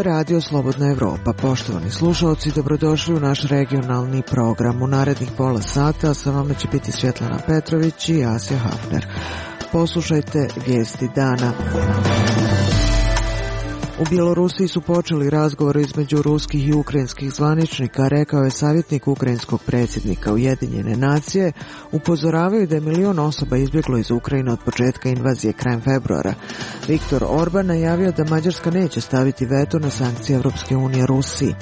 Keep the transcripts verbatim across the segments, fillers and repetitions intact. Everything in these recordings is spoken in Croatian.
Radio Slobodna Evropa. Poštovani slušalci, dobrodošli u naš regionalni program. U narednih pola sata sa vama će biti Svjetlana Petrović i Asja Hafner. Poslušajte vijesti dana. U Bjelorusiji su počeli razgovori između ruskih i ukrajinskih zvaničnika, rekao je savjetnik ukrajinskog predsjednika. Ujedinjene nacije upozoravaju da je milion osoba izbjeglo iz Ukrajine od početka invazije krajem februara. Viktor Orban najavio da Mađarska neće staviti veto na sankcije Evropske unije Rusiji.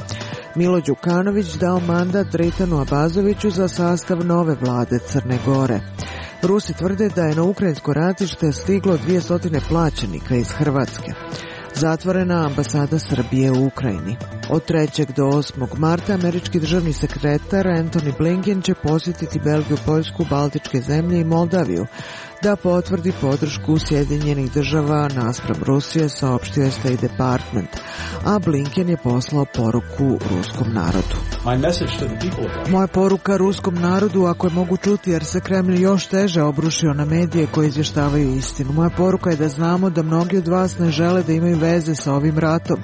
Milo Đukanović dao mandat Dritanu Abazoviću za sastav nove vlade Crne Gore. Rusi tvrde da je na ukrajinsko ratište stiglo dvjesto plaćenika iz Hrvatske. Zatvorena ambasada Srbije u Ukrajini. Od trećeg do osmog marta američki državni sekretar Antony Blinken će posjetiti Belgiju, Poljsku, Baltičke zemlje i Moldaviju da potvrdi podršku Sjedinjenih država naspram Rusije, saopštio je State Department, a Blinken je poslao poruku ruskom narodu. Moja poruka ruskom narodu, ako je mogu čuti, jer se Kremlj još teže obrušio na medije koji izvještavaju istinu. Moja poruka je da znamo da mnogi od vas ne žele da imaju veze sa ovim ratom.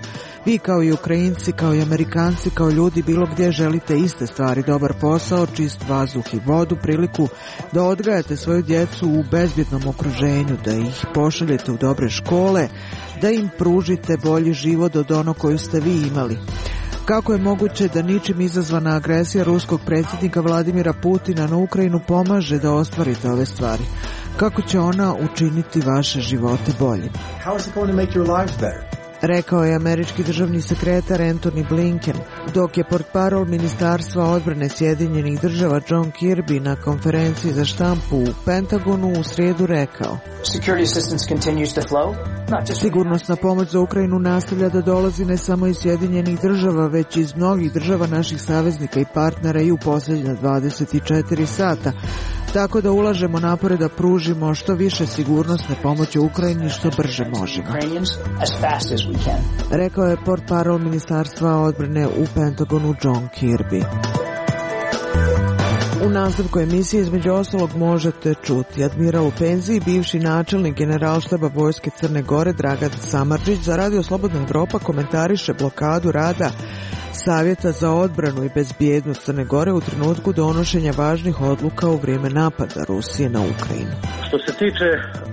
Vi kao i Ukrajinci, kao i Amerikanci, kao ljudi bilo gdje želite iste stvari, dobar posao, čist vazduh i vodu, priliku da odgajate svoju djecu u bezbjednom okruženju, da ih pošaljete u dobre škole, da im pružite bolji život od onog koju ste vi imali. Kako je moguće da ničim izazvana agresija ruskog predsjednika Vladimira Putina na Ukrajinu pomaže da ostvarite ove stvari? Kako će ona učiniti vaše živote boljim? How is it going to make your lives better? Rekao je američki državni sekretar Antony Blinken, dok je portparol Ministarstva odbrane Sjedinjenih država John Kirby na konferenciji za štampu u Pentagonu u srijedu rekao: Sigurnosna pomoć za Ukrajinu nastavlja da dolazi ne samo iz Sjedinjenih država, već iz mnogih država naših saveznika i partnera i u posljednja dvadeset četiri sata. Tako da ulažemo napore da pružimo što više sigurnosne pomoći Ukrajini što brže možemo. Rekao je portparol Ministarstva odbrane u Pentagonu John Kirby. U nastavku emisije između ostalog možete čuti admiral u penziji, bivši načelnik generalštaba vojske Crne Gore Dragan Samardžić za Radio Slobodna Evropa komentariše blokadu rada Savjeta za odbranu i bezbjednost Crne Gore u trenutku donošenja važnih odluka u vrijeme napada Rusije na Ukrajinu. Što se tiče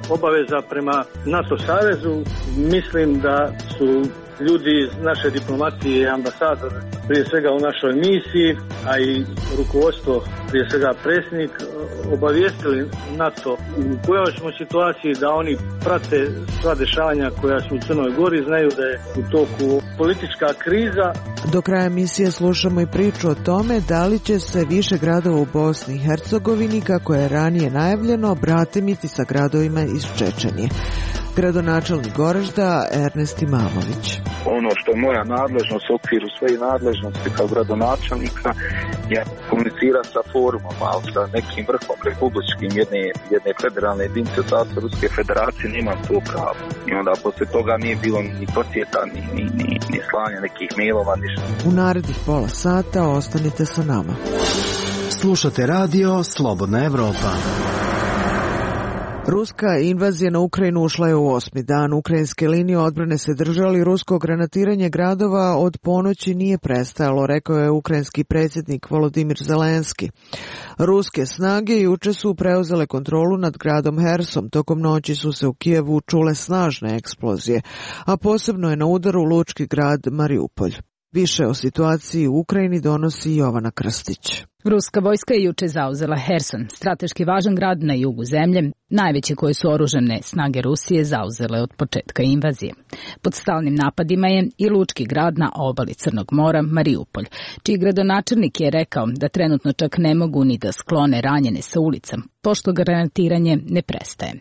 obaveza prema NATO savezu, mislim da su ljudi iz naše diplomacije i ambasador prije svega u našoj misiji, a i rukovodstvo, prije svega predsjednik, obavijestili NATO u kojoj smo situaciji, da oni prate sva dešavanja koja su u Crnoj Gori, znaju da je u toku politička kriza. Do kraja emisije slušamo i priču o tome da li će se više gradova u Bosni i Hercegovini, kako je ranije najavljeno, bratimiti sa gradovima iz Čečenije. Gradonačelnik Goražda Ernest Imamović. Ono što je moja nadležnost u okviru svoje nadležnosti kao gradonačelnika je komunicirati sa forumom, ali sa nekim vrhom republičkim jedne, jedne federalne jedinice Saveza Ruske Federacije nemam to pravo. I onda poslije toga nije bilo ni posjeta, ni, ni, ni, ni slanja nekih mailova, ništa. U narednih pola sata ostanite sa nama. Slušate radio Slobodna Evropa. Ruska invazija na Ukrajinu ušla je u osmi dan. Ukrajinske linije odbrane se držali, rusko granatiranje gradova od ponoći nije prestajalo, rekao je ukrajinski predsjednik Volodimir Zelenski. Ruske snage juče su preuzele kontrolu nad gradom Hersom. Tokom noći su se u Kijevu čule snažne eksplozije, a posebno je na udaru lučki grad Mariupolj. Više o situaciji u Ukrajini donosi Jovana Krstić. Ruska vojska je juče zauzela Herson, strateški važan grad na jugu zemlje, najveći koje su oružane snage Rusije zauzele od početka invazije. Pod stalnim napadima je i lučki grad na obali Crnog mora, Mariupolj, čiji gradonačelnik je rekao da trenutno čak ne mogu ni da sklone ranjene sa ulica, pošto granatiranje ne prestaje.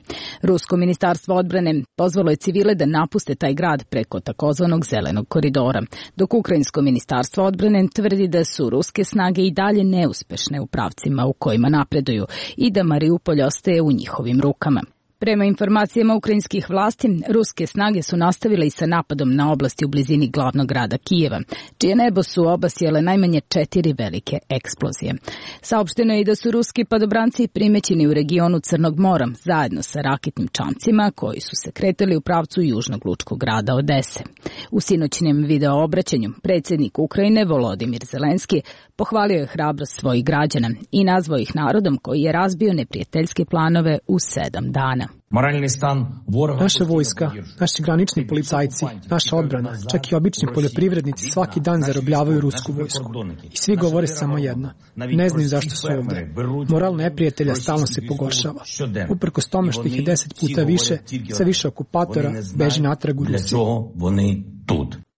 Rusko ministarstvo odbrane pozvalo je civile da napuste taj grad preko takozvanog zelenog koridora, dok ukrajinsko ministarstvo odbrane tvrdi da su ruske snage i dalje neuspešne u pravcima u kojima napreduju i da Mariupolj ostaje u njihovim rukama. Prema informacijama ukrajinskih vlasti, ruske snage su nastavile i sa napadom na oblasti u blizini glavnog grada Kijeva, čije nebo su obasjele najmanje četiri velike eksplozije. Saopšteno je i da su ruski padobranci primećeni u regionu Crnog mora zajedno sa raketnim čamcima koji su se kretali u pravcu južnog lučkog grada Odese. U sinoćnjem video obraćanju predsjednik Ukrajine Volodimir Zelenski pohvalio je hrabrost svojih građana i nazvao ih narodom koji je razbio neprijateljske planove u sedam dana. Naša vojska, naši granični policajci, naša odbrana, čak i obični poljoprivrednici svaki dan zarobljavaju rusku vojsku. I svi govore samo jedno. Ne znaju zašto su ovdje. Moral neprijatelja stalno se pogoršava. Uprkos tome što ih je deset puta više, sve više okupatora beži natrag u Rusiju.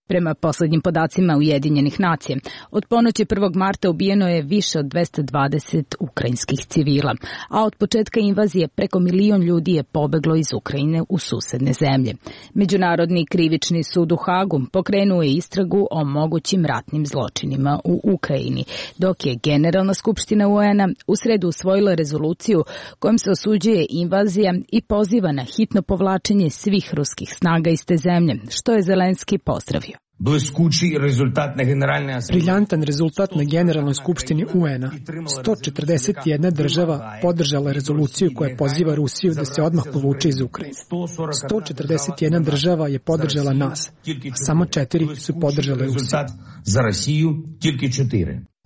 Prema posljednjim podacima Ujedinjenih nacija, od ponoći prvog marta ubijeno je više od dvesta dvadeset ukrajinskih civila, a od početka invazije preko milion ljudi je pobeglo iz Ukrajine u susedne zemlje. Međunarodni krivični sud u Hagu pokrenuo je istragu o mogućim ratnim zločinima u Ukrajini, dok je Generalna skupština U N-a u sredu usvojila rezoluciju kojom se osuđuje invazija i poziva na hitno povlačenje svih ruskih snaga iz te zemlje, što je Zelenski pozdravio. Briljantan rezultat na Generalnoj skupštini U N-a. sto četrdeset jedna država podržala rezoluciju koja poziva Rusiju da se odmah povuče iz Ukrajine. sto četrdeset jedna država je podržala nas. Samo četiri su podržale Rusiju.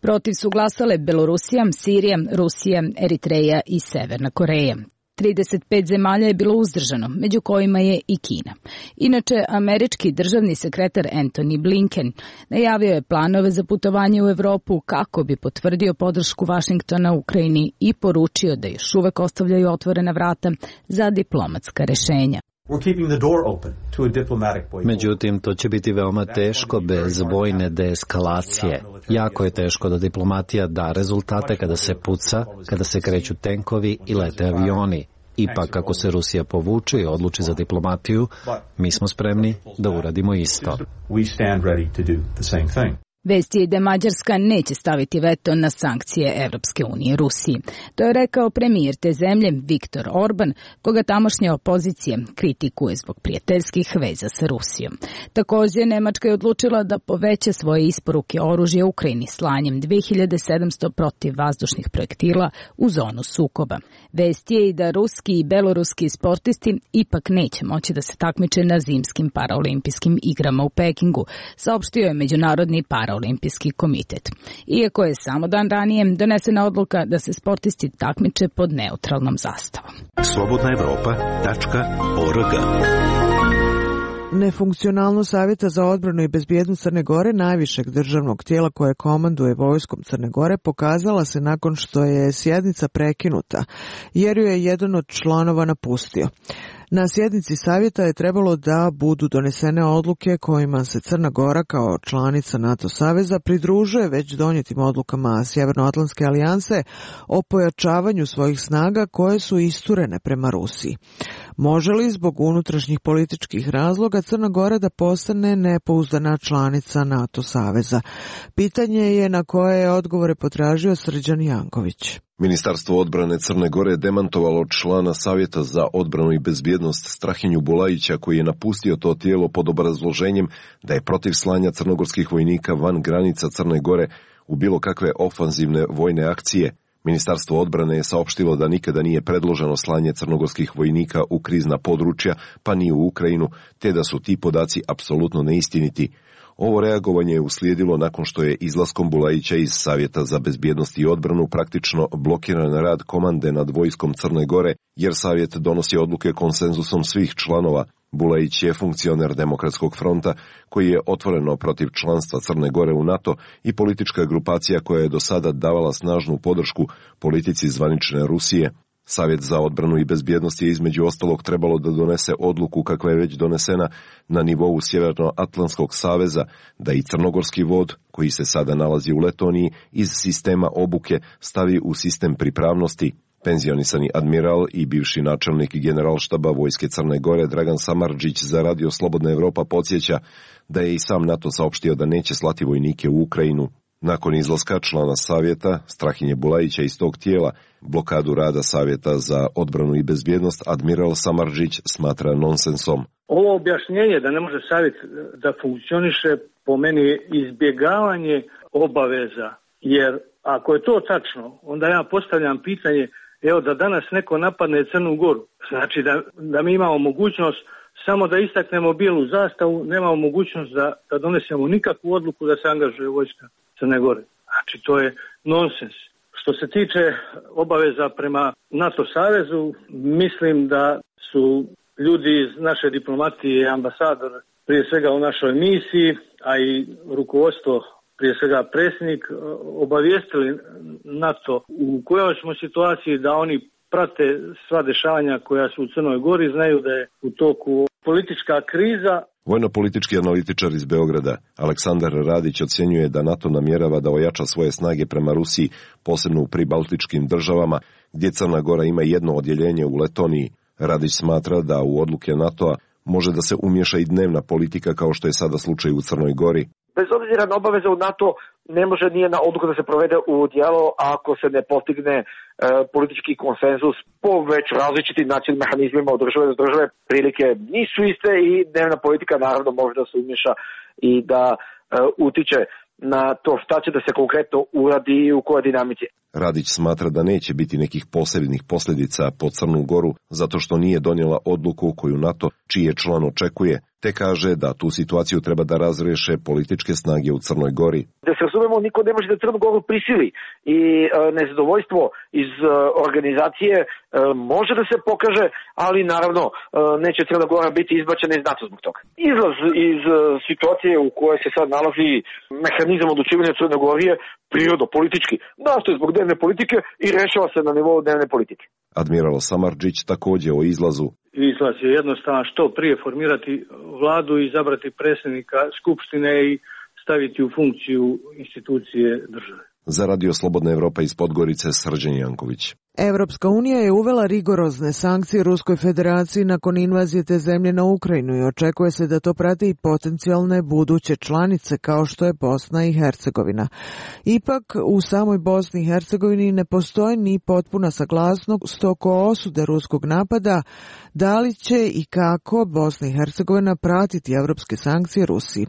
Protiv su glasale Belorusija, Sirija, Rusija, Eritreja i Severna Koreja. trideset pet zemalja je bilo uzdržano, među kojima je i Kina. Inače, američki državni sekretar Antony Blinken najavio je planove za putovanje u Evropu kako bi potvrdio podršku Vašingtona Ukrajini i poručio da još uvek ostavljaju otvorena vrata za diplomatska rešenja. Međutim, to će biti veoma teško bez vojne deeskalacije. Jako je teško da diplomatija da rezultate kada se puca, kada se kreću tenkovi i lete avioni. Ipak, ako se Rusija povuče i odluči za diplomatiju, mi smo spremni da uradimo isto. Vest je da Mađarska neće staviti veto na sankcije Evropske unije Rusiji. To je rekao premijer te zemlje Viktor Orban, koga tamošnja opozicija kritikuje zbog prijateljskih veza sa Rusijom. Također, Nemačka je odlučila da poveća svoje isporuke oružja Ukrajini slanjem dve hiljade sedamsto protivvazdušnih projektila u zonu sukoba. Vest je i da ruski i beloruski sportisti ipak neće moći da se takmiče na zimskim paraolimpijskim igrama u Pekingu, saopštio je Međunarodni paraolimpijski Olimpijski komitet. Iako je samo dan ranije donesena odluka da se sportisti takmiče pod neutralnom zastavom. slobodna evropa tačka org. Nefunkcionalnost Savjeta za odbranu i bezbjednost Crne Gore, najvišeg državnog tijela koje komanduje vojskom Crne Gore, pokazala se nakon što je sjednica prekinuta, jer ju je jedan od članova napustio. Na sjednici savjeta je trebalo da budu donesene odluke kojima se Crna Gora kao članica NATO saveza pridružuje već donijetim odlukama Sjevernoatlantske alijanse o pojačavanju svojih snaga koje su isturene prema Rusiji. Može li zbog unutrašnjih političkih razloga Crna Gora da postane nepouzdana članica NATO saveza? Pitanje je na koje je odgovore potražio Srđan Janković. Ministarstvo odbrane Crne Gore je demantovalo člana Savjeta za odbranu i bezbjednost Strahinju Bulajića, koji je napustio to tijelo pod obrazloženjem da je protiv slanja crnogorskih vojnika van granica Crne Gore u bilo kakve ofanzivne vojne akcije. Ministarstvo odbrane je saopštilo da nikada nije predloženo slanje crnogorskih vojnika u krizna područja, pa ni u Ukrajinu, te da su ti podaci apsolutno neistiniti. Ovo reagovanje je uslijedilo nakon što je izlaskom Bulajića iz Savjeta za bezbjednost i odbranu praktično blokiran rad komande nad vojskom Crne Gore, jer Savjet donosi odluke konsenzusom svih članova. Bulajić je funkcioner Demokratskog fronta koji je otvoreno protiv članstva Crne Gore u NATO i politička grupacija koja je do sada davala snažnu podršku politici zvanične Rusije. Savjet za odbranu i bezbjednost je između ostalog trebalo da donese odluku kakva je već donesena na nivou Sjevernoatlantskog saveza, da i crnogorski vod, koji se sada nalazi u Letoniji, iz sistema obuke stavi u sistem pripravnosti. Penzionisani admiral i bivši načelnik generalštaba vojske Crne Gore Dragan Samardžić za Radio Slobodna Evropa podsjeća da je i sam NATO saopštio da neće slati vojnike u Ukrajinu. Nakon izlaska člana savjeta Strahinje Bulajića iz tog tijela, blokadu rada Savjeta za odbranu i bezbjednost admiral Samardžić smatra nonsensom. Ovo objašnjenje da ne može savjet da funkcioniše po meni je izbjegavanje obaveza, jer ako je to tačno, onda ja postavljam pitanje, evo da danas neko napadne Crnu Goru, znači da, da mi imamo mogućnost samo da istaknemo bijelu zastavu, nemamo mogućnost da, da donesemo nikakvu odluku da se angažuje vojska Crne Gore. Znači to je nonsens. Što se tiče obaveza prema NATO savezu, mislim da su ljudi iz naše diplomatije, ambasador prije svega u našoj misiji, a i rukovodstvo, prije svega predsjednik, obavijestili NATO u kojoj smo situaciji da oni prate sva dešavanja koja su u Crnoj Gori, znaju da je u toku politička kriza. Vojno-politički analitičar iz Beograda Aleksandar Radić ocjenjuje da NATO namjerava da ojača svoje snage prema Rusiji, posebno u pribaltičkim državama, gdje Crna Gora ima jedno odjeljenje u Letoniji. Radić smatra da u odluke NATO-a može da se umješa i dnevna politika kao što je sada slučaj u Crnoj Gori. Bez obzira na obaveze u NATO ne može nije na odluka da se provede u djelo ako se ne postigne e, politički konsenzus po već različitim nacionalnim mehanizmima od države do države. Prilike nisu iste i dnevna politika naravno može da se umješa i da e, utiče na to šta će da se konkretno uradi i u kojoj dinamici. Radić smatra da neće biti nekih posebnih posljedica po Crnu Goru zato što nije donijela odluku koju NATO, čiji je član, očekuje, te kaže da tu situaciju treba da razriješe političke snage u Crnoj Gori. Da se razumemo, niko ne može da Crnu Goru prisili i e, nezadovoljstvo iz e, organizacije e, može da se pokaže, ali naravno e, neće Crna Gora biti izbačena iz NATO zbog toga. Izlaz iz e, situacije u kojoj se sad nalazi mehanizam odlučivanja Crne Gore je prirodno politički. Nastoje zbog dnevne politike i rešava se na nivou dnevne politike. Admiral Samardžić također o izlazu. Izlaz je jednostavan, što prije formirati vladu i izabrati predsjednika Skupštine i staviti u funkciju institucije države. Za Radio Slobodna Evropa iz Podgorice, Srđan Janković. Evropska unija je uvela rigorozne sankcije Ruskoj federaciji nakon invazije te zemlje na Ukrajinu i očekuje se da to prate i potencijalne buduće članice kao što je Bosna i Hercegovina. Ipak, u samoj Bosni i Hercegovini ne postoji ni potpuna saglasnost oko osude ruskog napada, da li će i kako Bosna i Hercegovina pratiti evropske sankcije Rusiji.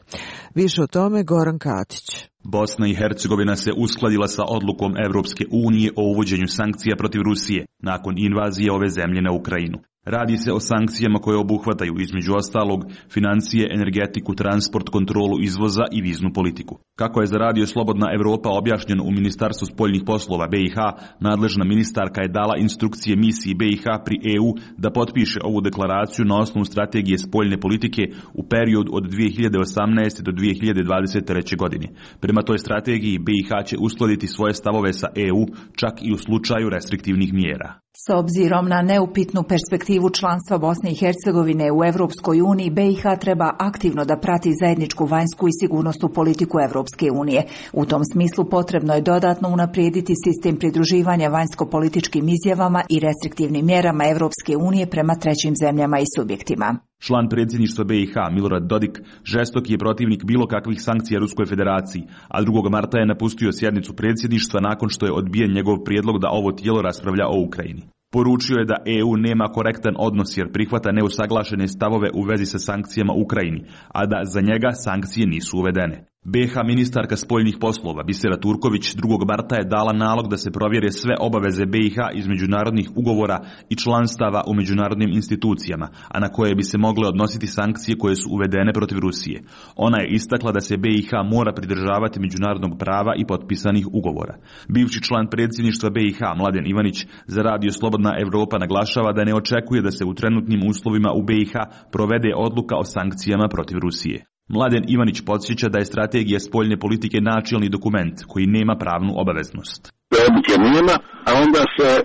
Više o tome Goran Katić. Bosna i Hercegovina se uskladila sa odlukom Evropske unije o uvođenju sankcija protiv Rusije nakon invazije ove zemlje na Ukrajinu. Radi se o sankcijama koje obuhvataju između ostalog financije, energetiku, transport, kontrolu izvoza i viznu politiku. Kako je za Radio Slobodna Evropa objašnjeno u Ministarstvu spoljnih poslova B i H, nadležna ministarka je dala instrukcije misiji B i H pri E U da potpiše ovu deklaraciju na osnovu strategije spoljne politike u periodu od dvije hiljade osamnaeste. do dvije hiljade dvadeset treće. godine. Prema toj strategiji B i H će uskladiti svoje stavove sa E U čak i u slučaju restriktivnih mjera. S obzirom na neupitnu perspektivu članstva Bosne i Hercegovine u Evropskoj uniji, B i H treba aktivno da prati zajedničku vanjsku i sigurnosnu politiku Evropske unije. U tom smislu potrebno je dodatno unaprijediti sistem pridruživanja vanjsko-političkim izjavama i restriktivnim mjerama Evropske unije prema trećim zemljama i subjektima. Član predsjedništva B i H Milorad Dodik žestok je protivnik bilo kakvih sankcija Ruskoj federaciji, a drugog marta je napustio sjednicu predsjedništva nakon što je odbijen njegov prijedlog da ovo tijelo raspravlja o Ukrajini. Poručio je da E U nema korektan odnos jer prihvata neusaglašene stavove u vezi sa sankcijama Ukrajini, a da za njega sankcije nisu uvedene. B H ministarka spoljnih poslova Bisera Turković drugog marta je dala nalog da se provjere sve obaveze B i H iz međunarodnih ugovora i članstava u međunarodnim institucijama, a na koje bi se mogle odnositi sankcije koje su uvedene protiv Rusije. Ona je istakla da se B i H mora pridržavati međunarodnog prava i potpisanih ugovora. Bivši član predsjedništva B i H Mladen Ivanić za Radio Slobodna Evropa naglašava da ne očekuje da se u trenutnim uslovima u B i H provede odluka o sankcijama protiv Rusije. Mladen Ivanić podsjeća da je strategija spoljne politike načelni dokument koji nema pravnu obaveznost. Odluke nema, a onda se e,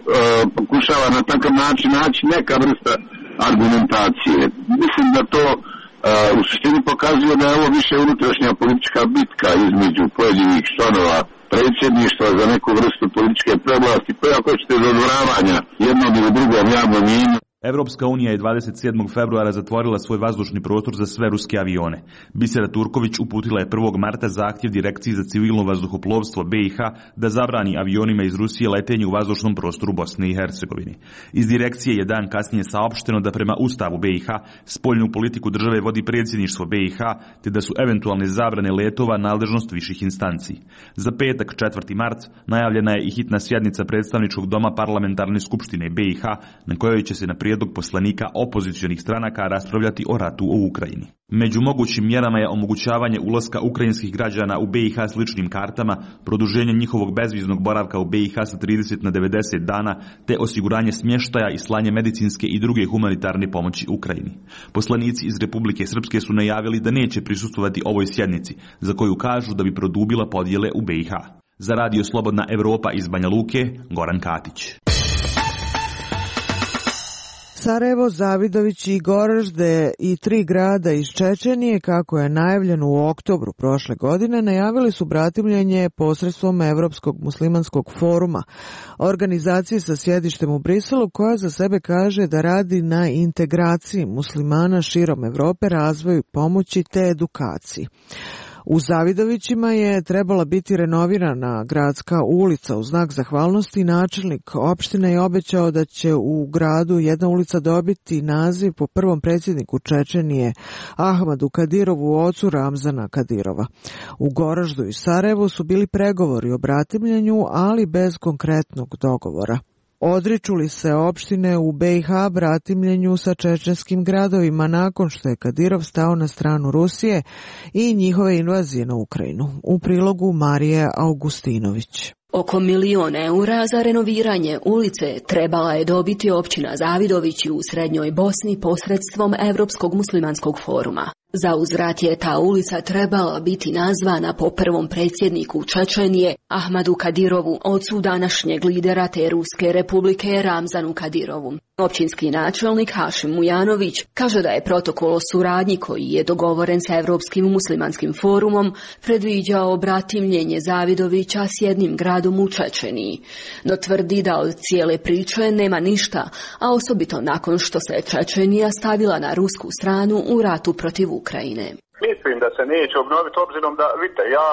pokušava na takav način naći neka vrsta argumentacije. Mislim da to e, u suštini pokazuje da je ovo više unutrašnja politička bitka između pojedinih članova predsjedništva za neku vrstu političke prevlasti, koja hoćete dodvoravanja jednog ili drugom javnom mjenju. Evropska unija je dvadeset sedmog februara zatvorila svoj vazdušni prostor za sve ruske avione. Bisera Turković uputila je prvog marta zahtjev Direkciji za civilno vazduhoplovstvo B i H da zabrani avionima iz Rusije letenje u vazdušnom prostoru Bosne i Hercegovine. Iz direkcije je dan kasnije saopšteno da prema Ustavu B i H spoljnu politiku države vodi predsjedništvo B i H, te da su eventualne zabrane letova nadležnost viših instanci. Za petak, četvrti mart, najavljena je i hitna sjednica predstavničkog doma parlamentarne skupštine B i H, na kojoj će se na prijedlog poslanika opozicionih stranaka raspravljati o ratu u Ukrajini. Među mogućim mjerama je omogućavanje ulaska ukrajinskih građana u B i H s ličnim kartama, produženje njihovog bezviznog boravka u B i H sa trideset na devedeset dana, te osiguranje smještaja i slanje medicinske i druge humanitarne pomoći Ukrajini. Poslanici iz Republike Srpske su najavili da neće prisustvovati ovoj sjednici, za koju kažu da bi produbila podjele u B i H. Za Radio Slobodna Evropa iz Banja Luke, Goran Katić. Sarajevo, Zavidović i Goražde i tri grada iz Čečenije, kako je najavljeno u oktobru prošle godine, najavili su bratimljenje posredstvom Evropskog muslimanskog foruma, organizacije sa sjedištem u Briselu, koja za sebe kaže da radi na integraciji muslimana širom Evrope, razvoju pomoći te edukaciji. U Zavidovićima je trebala biti renovirana gradska ulica u znak zahvalnosti. Načelnik opštine je obećao da će u gradu jedna ulica dobiti naziv po prvom predsjedniku Čečenije Ahmadu Kadirovu, ocu Ramzana Kadirova. U Goraždu i Sarajevu su bili pregovori o bratimljenju, ali bez konkretnog dogovora. Odriču li se opštine u B i H bratimljenju sa čečenskim gradovima nakon što je Kadirov stao na stranu Rusije i njihove invazije na Ukrajinu? U prilogu Marije Augustinović. Oko milion eura za renoviranje ulice trebala je dobiti općina Zavidovići u Srednjoj Bosni posredstvom Evropskog muslimanskog foruma. Za uzvrat je ta ulica trebala biti nazvana po prvom predsjedniku Čečenije Ahmadu Kadirovu, ocu današnjeg lidera te Ruske republike Ramzanu Kadirovu. Općinski načelnik Hašim Mujanović kaže da je protokol o suradnji koji je dogovoren sa Evropskim muslimanskim forumom predviđao bratimljenje Zavidovića s jednim gradom u Čečeniji. No tvrdi da od cijele priče nema ništa, a osobito nakon što se Čečenija stavila na rusku stranu u ratu protiv Ukrajine. Mislim da se neće obnoviti, obzirom da, vidite, ja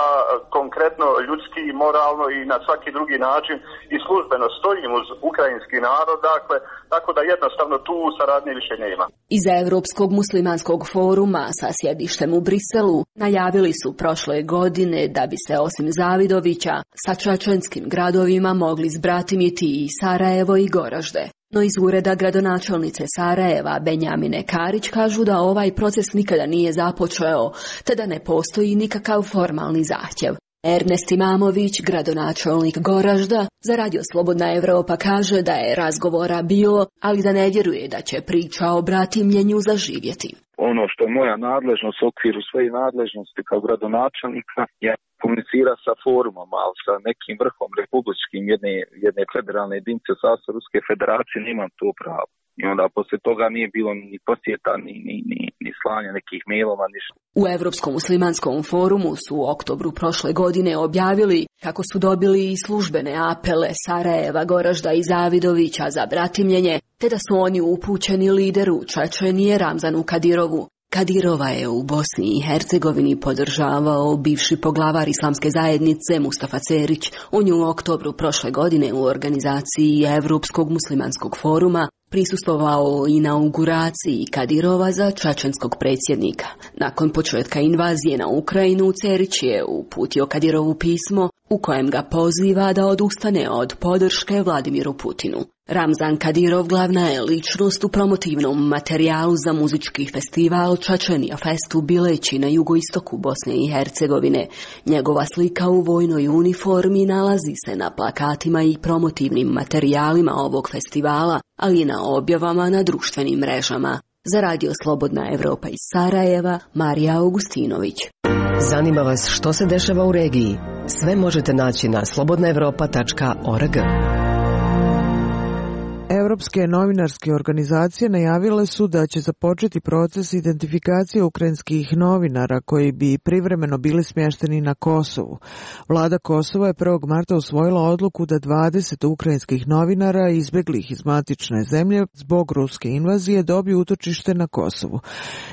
konkretno ljudski, moralno i na svaki drugi način i službeno stojim uz ukrajinski narod, dakle, tako da jednostavno tu saradnje više nema. Iz Evropskog muslimanskog foruma sa sjedištem u Briselu najavili su prošle godine da bi se osim Zavidovića sa čečenskim gradovima mogli zbratimiti i Sarajevo i Goražde. No iz ureda gradonačelnice Sarajeva Benjamine Karić kažu da ovaj proces nikada nije započeo, te da ne postoji nikakav formalni zahtjev. Ernest Imamović, gradonačelnik Goražda, za Radio Slobodna Evropa kaže da je razgovora bilo, ali da ne vjeruje da će priča o bratimljenju zaživjeti. Ono što je moja nadležnost u okviru svoje nadležnosti kao gradonačelnika je komunicira sa forumom, ali sa nekim vrhom republičkim jedne, jedne federalne jedinice u sastavu Ruske federacije nemam to pravo. I onda poslije toga nije bilo ni posjeta, ni, ni, ni, ni slanja nekih mailova, ništa. U Evropskom muslimanskom forumu su u oktobru prošle godine objavili kako su dobili i službene apele Sarajeva, Goražda i Zavidovića za bratimljenje, te da su oni upućeni lideru Čečenije Ramzanu Kadirovu. Kadirova je u Bosni i Hercegovini podržavao bivši poglavar islamske zajednice Mustafa Cerić. On je u oktobru prošle godine u organizaciji Evropskog muslimanskog foruma prisustvovao inauguraciji Kadirova za čečenskog predsjednika. Nakon početka invazije na Ukrajinu, Cerić je uputio Kadirovu pismo u kojem ga poziva da odustane od podrške Vladimiru Putinu. Ramzan Kadirov glavna je ličnost u promotivnom materijalu za muzički festival Čečenija Fest u Bileći na jugoistoku Bosne i Hercegovine. Njegova slika u vojnoj uniformi nalazi se na plakatima i promotivnim materijalima ovog festivala, ali i na objavama na društvenim mrežama. Za Radio Slobodna Evropa iz Sarajeva, Marija Augustinović. Zanima vas što se dešava u regiji? Sve možete naći na slobodna evropa tačka org. Evropske novinarske organizacije najavile su da će započeti proces identifikacije ukrajinskih novinara koji bi privremeno bili smješteni na Kosovu. Vlada Kosova je prvog marta usvojila odluku da dvadeset ukrajinskih novinara izbjeglih iz matične zemlje zbog ruske invazije dobiju utočište na Kosovu.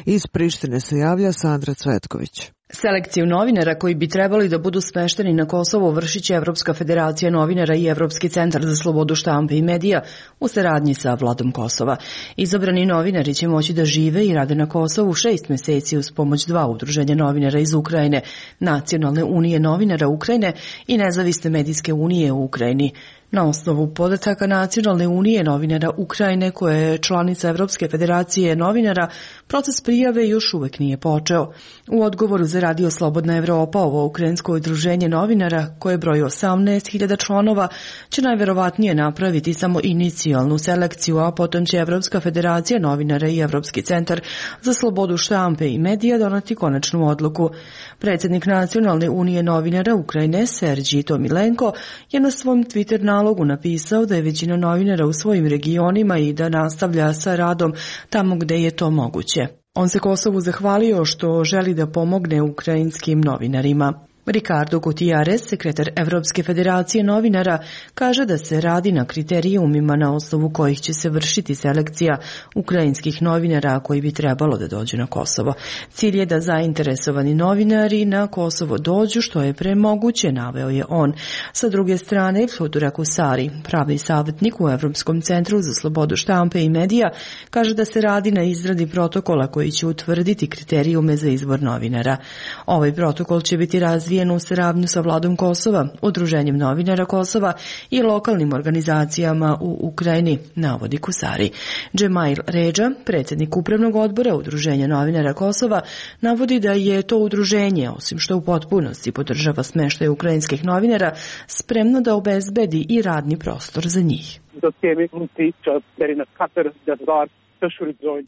Iz Prištine se javlja Sandra Cvetković. Selekciju novinara koji bi trebali da budu smešteni na Kosovo vršit će Evropska federacija novinara i Evropski centar za slobodu štampe i medija u saradnji sa vladom Kosova. Izabrani novinari će moći da žive i rade na Kosovu šest meseci uz pomoć dva udruženja novinara iz Ukrajine, Nacionalne unije novinara Ukrajine i Nezavisne medijske unije u Ukrajini. Na osnovu podataka Nacionalne unije novinara Ukrajine, koja je članica Evropske federacije novinara, proces prijave još uvek nije počeo. U odgovoru za radio Slobodna Evropa, ovo ukrajinsko udruženje novinara, koje broji osamnaest hiljada članova, će najverovatnije napraviti samo inicijalnu selekciju, a potom će Evropska federacija novinara i Evropski centar za slobodu štampe i medija donati konačnu odluku. Predsjednik Nacionalne unije novinara Ukrajine, Serđij Tomilenko, je na svom Twitter nalogu napisao da je većina novinara u svojim regionima i da nastavlja sa radom tamo gde je to moguće. On se Kosovu zahvalio što želi da pomogne ukrajinskim novinarima. Ricardo Gutierrez, sekretar Evropske federacije novinara, kaže da se radi na kriterijumima na osnovu kojih će se vršiti selekcija ukrajinskih novinara koji bi trebalo da dođu na Kosovo. Cilj je da zainteresovani novinari na Kosovo dođu što je pre moguće, naveo je on. Sa druge strane, Fludura Kusari, pravni savjetnik u Evropskom centru za slobodu štampe i medija, kaže da se radi na izradi protokola koji će utvrditi kriterijume za izbor novinara. Ovaj protokol će biti razvijen u saradnju sa vladom Kosova, Udruženjem novinara Kosova i lokalnim organizacijama u Ukrajini, navodi Kusari. Džemail Redža, predsjednik upravnog odbora Udruženja novinara Kosova, navodi da je to udruženje, osim što u potpunosti podržava smeštaj ukrajinskih novinara, spremno da obezbedi i radni prostor za njih.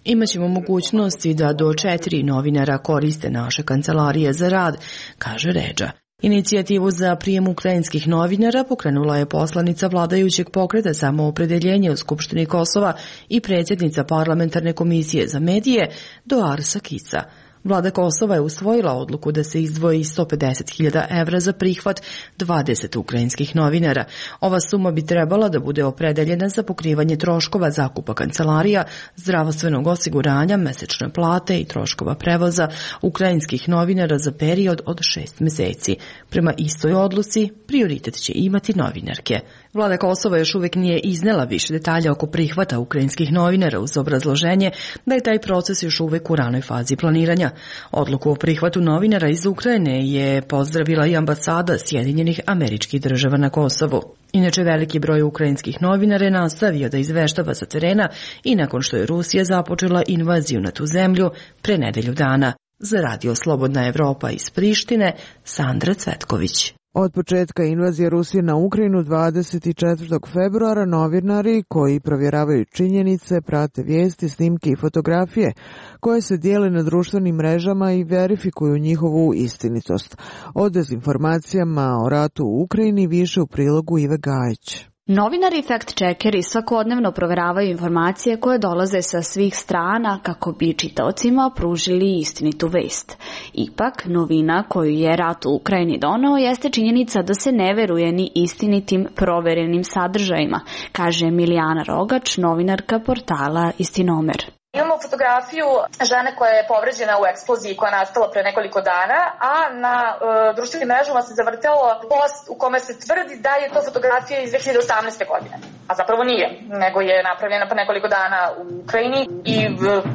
Imaćemo mogućnosti da do četiri novinara koriste naše kancelarije za rad, kaže Redža. Inicijativu za prijem ukrajinskih novinara pokrenula je poslanica vladajućeg pokreta Samoopredeljenje u Skupštini Kosova i predsjednica parlamentarne komisije za medije Doar Sakica. Vlada Kosova je usvojila odluku da se izdvoji sto pedeset hiljada evra za prihvat dvadeset ukrajinskih novinara. Ova suma bi trebala da bude opredeljena za pokrivanje troškova zakupa kancelarija, zdravstvenog osiguranja, mesečne plate i troškova prevoza ukrajinskih novinara za period od šest meseci. Prema istoj odluci, prioritet će imati novinarke. Vlada Kosova još uvijek nije iznela više detalja oko prihvata ukrajinskih novinara uz obrazloženje da je taj proces još uvijek u ranoj fazi planiranja. Odluku o prihvatu novinara iz Ukrajine je pozdravila i ambasada Sjedinjenih Američkih Država na Kosovu. Inače, veliki broj ukrajinskih novinara je nastavio da izveštava sa terena i nakon što je Rusija započela invaziju na tu zemlju pre nedelju dana. Za radio Slobodna Evropa iz Prištine, Sandra Cvetković. Od početka invazije Rusije na Ukrajinu dvadeset četvrtog februara novinari koji provjeravaju činjenice, prate vijesti, snimke i fotografije koje se dijele na društvenim mrežama i verifikuju njihovu istinitost. O dezinformacijama o ratu u Ukrajini više u prilogu Ive Gajić. Novinari i fact-checkeri svakodnevno proveravaju informacije koje dolaze sa svih strana kako bi čitaocima pružili istinitu vest. Ipak, novina koju je rat u Ukrajini doneo jeste činjenica da se ne veruje ni istinitim proverenim sadržajima, kaže Milijana Rogač, novinarka portala Istinomer. Imamo fotografiju žene koja je povređena u eksploziji koja je nastala pre nekoliko dana, a na e, društvenim mrežama se zavrtelo post u kome se tvrdi da je to fotografija iz dve hiljade osamnaeste. godine. A zapravo nije, nego je napravljena pre nekoliko dana u Ukrajini i e,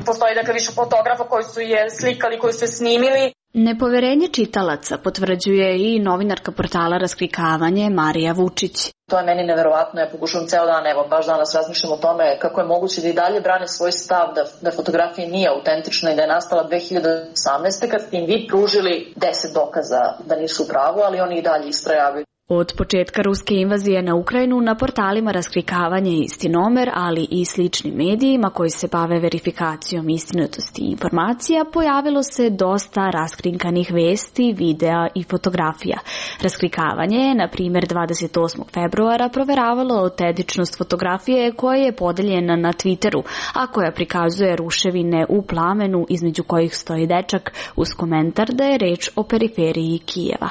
postoji dakle više fotografa koji su je slikali, koji su je snimili. Nepoverenje čitalaca potvrđuje i novinarka portala Rasklikavanje Marija Vučić. To je meni neverovatno, ja pokušavam ceo dan, evo baš danas razmišljam o tome kako je moguće da i dalje brane svoj stav da, da fotografija nije autentična i da je nastala dve hiljade osamnaeste. kad ste im vi pružili deset dokaza da nisu u pravu, ali oni i dalje istrajavaju. Od početka ruske invazije na Ukrajinu na portalima Raskrikavanje i Istinomer, ali i sličnim medijima koji se bave verifikacijom istinitosti informacija, pojavilo se dosta raskrinkanih vesti, videa i fotografija. Raskrikavanje je, na primjer, dvadeset osmog februara proveravalo autentičnost fotografije koja je podeljena na Twitteru, a koja prikazuje ruševine u plamenu između kojih stoji dečak uz komentar da je reč o periferiji Kijeva.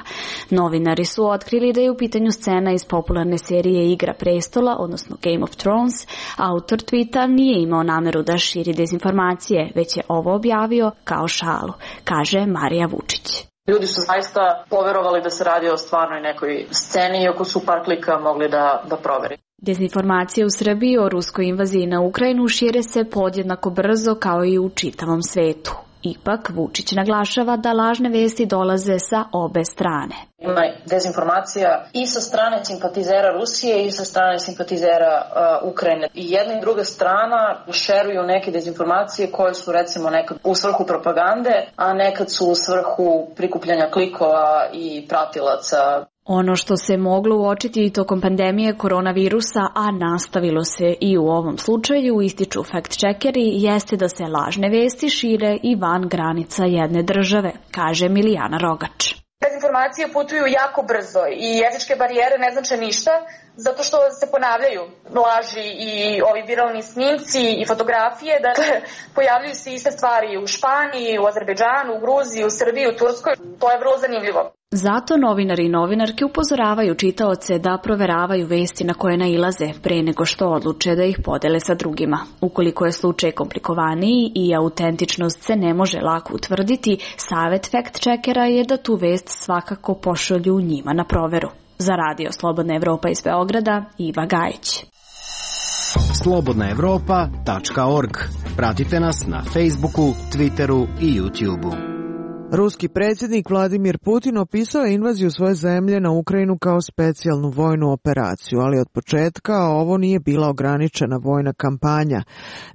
Novinari su otkrili da je u pitanju scena iz popularne serije Igra prestola, odnosno Game of Thrones. Autor tweeta nije imao nameru da širi dezinformacije, već je ovo objavio kao šalu, kaže Marija Vučić. Ljudi su zaista poverovali da se radi o stvarnoj nekoj sceni, iako su par klika mogli da, da proveri. Dezinformacije u Srbiji o ruskoj invaziji na Ukrajinu šire se podjednako brzo kao i u čitavom svetu. Ipak, Vučić naglašava da lažne vesti dolaze sa obe strane. Ima dezinformacija i sa strane simpatizera Rusije i sa strane simpatizera uh, Ukrajine. I jedna i druga strana šeruju neke dezinformacije koje su recimo nekad u svrhu propagande, a nekad su u svrhu prikupljanja klikova i pratilaca. Ono što se moglo uočiti i tokom pandemije koronavirusa, a nastavilo se i u ovom slučaju, ističu fact-checkeri, jeste da se lažne vesti šire i van granica jedne države, kaže Milijana Rogač. Dezinformacije putuju jako brzo i jezičke barijere ne znače ništa, zato što se ponavljaju laži i ovi viralni snimci i fotografije. Dakle, pojavljuju se iste stvari u Španiji, u Azerbejdžanu, u Gruziji, u Srbiji, u Turskoj. To je vrlo zanimljivo. Zato novinari i novinarke upozoravaju čitaoce da proveravaju vesti na koje nailaze pre nego što odluče da ih podele sa drugima. Ukoliko je slučaj komplikovaniji i autentičnost se ne može lako utvrditi, savjet fact-checkera je da tu vest svakako pošalju njima na proveru. Za Radio Slobodna Evropa iz Beograda, Iva Gajić. slobodna evropa tačka org. Pratite nas na Facebooku, Twitteru i YouTubeu. Ruski predsjednik Vladimir Putin opisao je invaziju svoje zemlje na Ukrajinu kao specijalnu vojnu operaciju, ali od početka ovo nije bila ograničena vojna kampanja.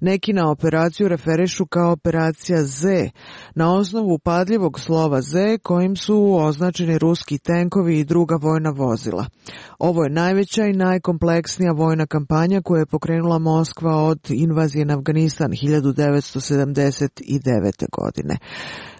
Neki na operaciju referišu kao operacija Z, na osnovu upadljivog slova Z kojim su označeni ruski tenkovi i druga vojna vozila. Ovo je najveća i najkompleksnija vojna kampanja koju je pokrenula Moskva od invazije na Afganistan hiljadu devetsto sedamdeset devete. godine.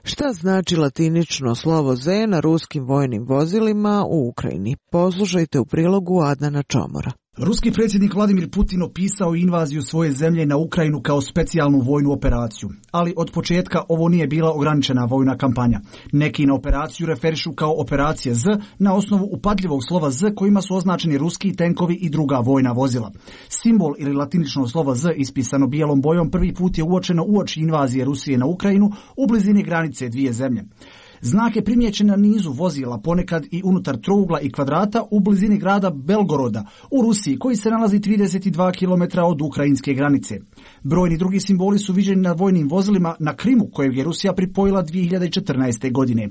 Šta znači latinično slovo Z na ruskim vojnim vozilima u Ukrajini? Poslušajte u prilogu Adnana Čomora. Ruski predsjednik Vladimir Putin opisao invaziju svoje zemlje na Ukrajinu kao specijalnu vojnu operaciju, ali od početka ovo nije bila ograničena vojna kampanja. Neki na operaciju referišu kao operacija Z na osnovu upadljivog slova Z kojima su označeni ruski tenkovi i druga vojna vozila. Simbol ili latinično slovo Z ispisano bijelom bojom prvi put je uočeno uoči invazije Rusije na Ukrajinu u blizini granice dvije zemlje. Znak je primijećen na nizu vozila, ponekad i unutar trougla i kvadrata u blizini grada Belgoroda u Rusiji, koji se nalazi trideset dva kilometra od ukrajinske granice. Brojni drugi simboli su viđeni na vojnim vozilima na Krimu, kojeg je Rusija pripojila dvije hiljade četrnaeste. godine.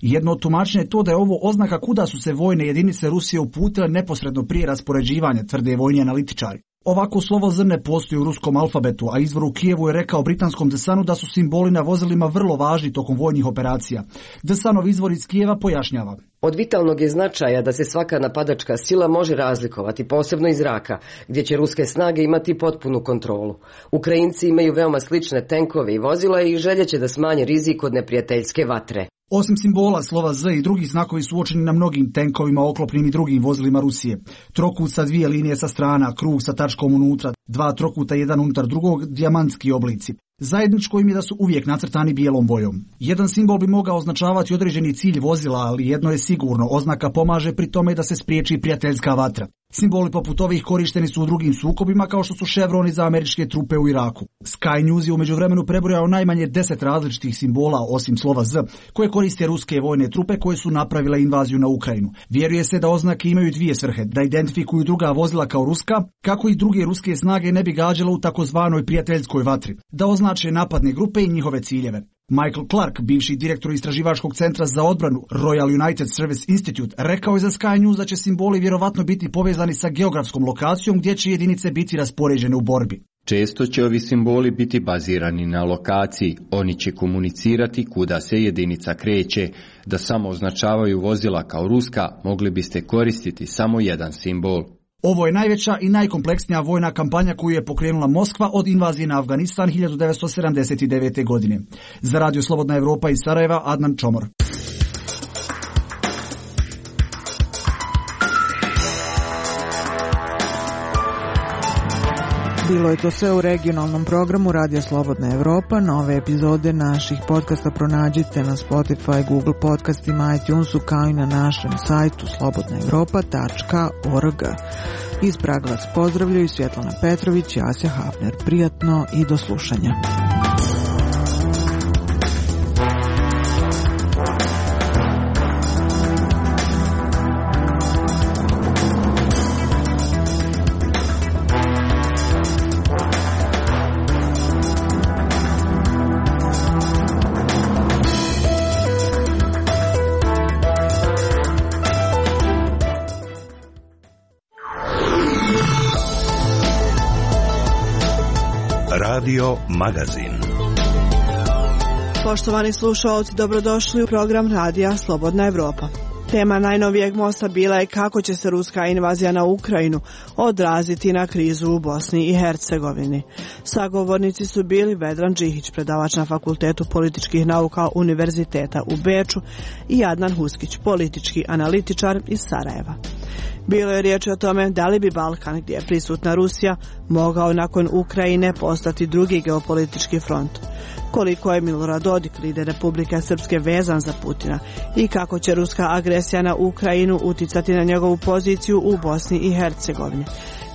Jedno od tumačenja je to da je ovo oznaka kuda su se vojne jedinice Rusije uputile neposredno prije raspoređivanja, tvrde vojni analitičari. Ovako slovo Z ne postoji u ruskom alfabetu, a izvor u Kijevu je rekao britanskom The Sunu da su simboli na vozilima vrlo važni tokom vojnih operacija. The Sunov izvor iz Kijeva pojašnjava. Od vitalnog je značaja da se svaka napadačka sila može razlikovati, posebno iz zraka, gdje će ruske snage imati potpunu kontrolu. Ukrajinci imaju veoma slične tenkove i vozila i željeće da smanje rizik od neprijateljske vatre. Osim simbola slova Z i drugi znakovi su uočeni na mnogim tenkovima, oklopnim i drugim vozilima Rusije. Trokut sa dvije linije sa strana, krug sa tačkom unutra, dva trokuta jedan unutar drugog, dijamantski oblici. Zajedničko im je da su uvijek nacrtani bijelom bojom. Jedan simbol bi mogao označavati određeni cilj vozila, ali jedno je sigurno, oznaka pomaže pri tome da se spriječi prijateljska vatra. Simboli poput ovih korišteni su u drugim sukobima kao što su ševroni za američke trupe u Iraku. Sky News je u međuvremenu prebrojao najmanje deset različitih simbola osim slova Z, koje koriste ruske vojne trupe koje su napravile invaziju na Ukrajinu. Vjeruje se da oznake imaju dvije svrhe, da identifikuju druga vozila kao ruska, kako i druge ruske snage ne bi gađale u takozvanoj prijateljskoj vatri, da označe napadne grupe i njihove ciljeve. Michael Clark, bivši direktor istraživačkog centra za odbranu Royal United Service Institute, rekao je za Sky News da će simboli vjerovatno biti povezani sa geografskom lokacijom gdje će jedinice biti raspoređene u borbi. Često će ovi simboli biti bazirani na lokaciji, oni će komunicirati kuda se jedinica kreće. Da samo označavaju vozila kao ruska, mogli biste koristiti samo jedan simbol. Ovo je najveća i najkompleksnija vojna kampanja koju je pokrenula Moskva od invazije na Afganistan hiljadu devetsto sedamdeset devete. godine. Za Radio Slobodna Evropa iz Sarajeva, Adnan Čomor. Bilo je to sve u regionalnom programu Radio Slobodna Evropa. Nove epizode naših podcasta pronađite na Spotify, Google podcastima, iTunesu, kao i na našem sajtu slobodna evropa tačka org. Iz Praga vas pozdravljaju Svjetlana Petrović i Asja Hafner. Prijatno i do slušanja. Radio Magazin. Poštovani slušalci, dobrodošli u program Radija Slobodna Evropa. Tema najnovijeg mosta bila je kako će se ruska invazija na Ukrajinu odraziti na krizu u Bosni i Hercegovini. Sagovornici su bili Vedran Džihić, predavač na Fakultetu političkih nauka Univerziteta u Beču, i Adnan Huskić, politički analitičar iz Sarajeva. Bilo je riječ o tome da li bi Balkan, gdje je prisutna Rusija, mogao nakon Ukrajine postati drugi geopolitički front. Koliko je Milorad Dodik, lider Republike Srpske, vezan za Putina i kako će ruska agresija na Ukrajinu uticati na njegovu poziciju u Bosni i Hercegovini.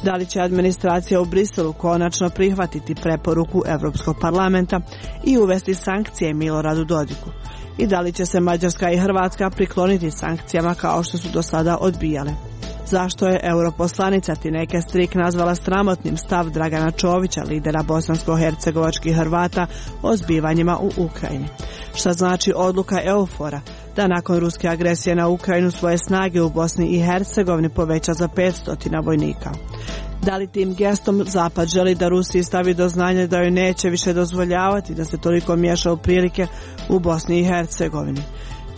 Da li će administracija u Briselu konačno prihvatiti preporuku Europskog parlamenta i uvesti sankcije Miloradu Dodiku? I da li će se Mađarska i Hrvatska prikloniti sankcijama kao što su do sada odbijale? Zašto je europoslanica Tineke Strik nazvala sramotnim stav Dragana Čovića, lidera bosansko-hercegovačkih Hrvata, o zbivanjima u Ukrajini? Šta znači odluka EUFOR-a da nakon ruske agresije na Ukrajinu svoje snage u Bosni i Hercegovini poveća za petsto vojnika? Da li tim gestom Zapad želi da Rusiji stavi do znanja da joj neće više dozvoljavati da se toliko miješa u prilike u Bosni i Hercegovini?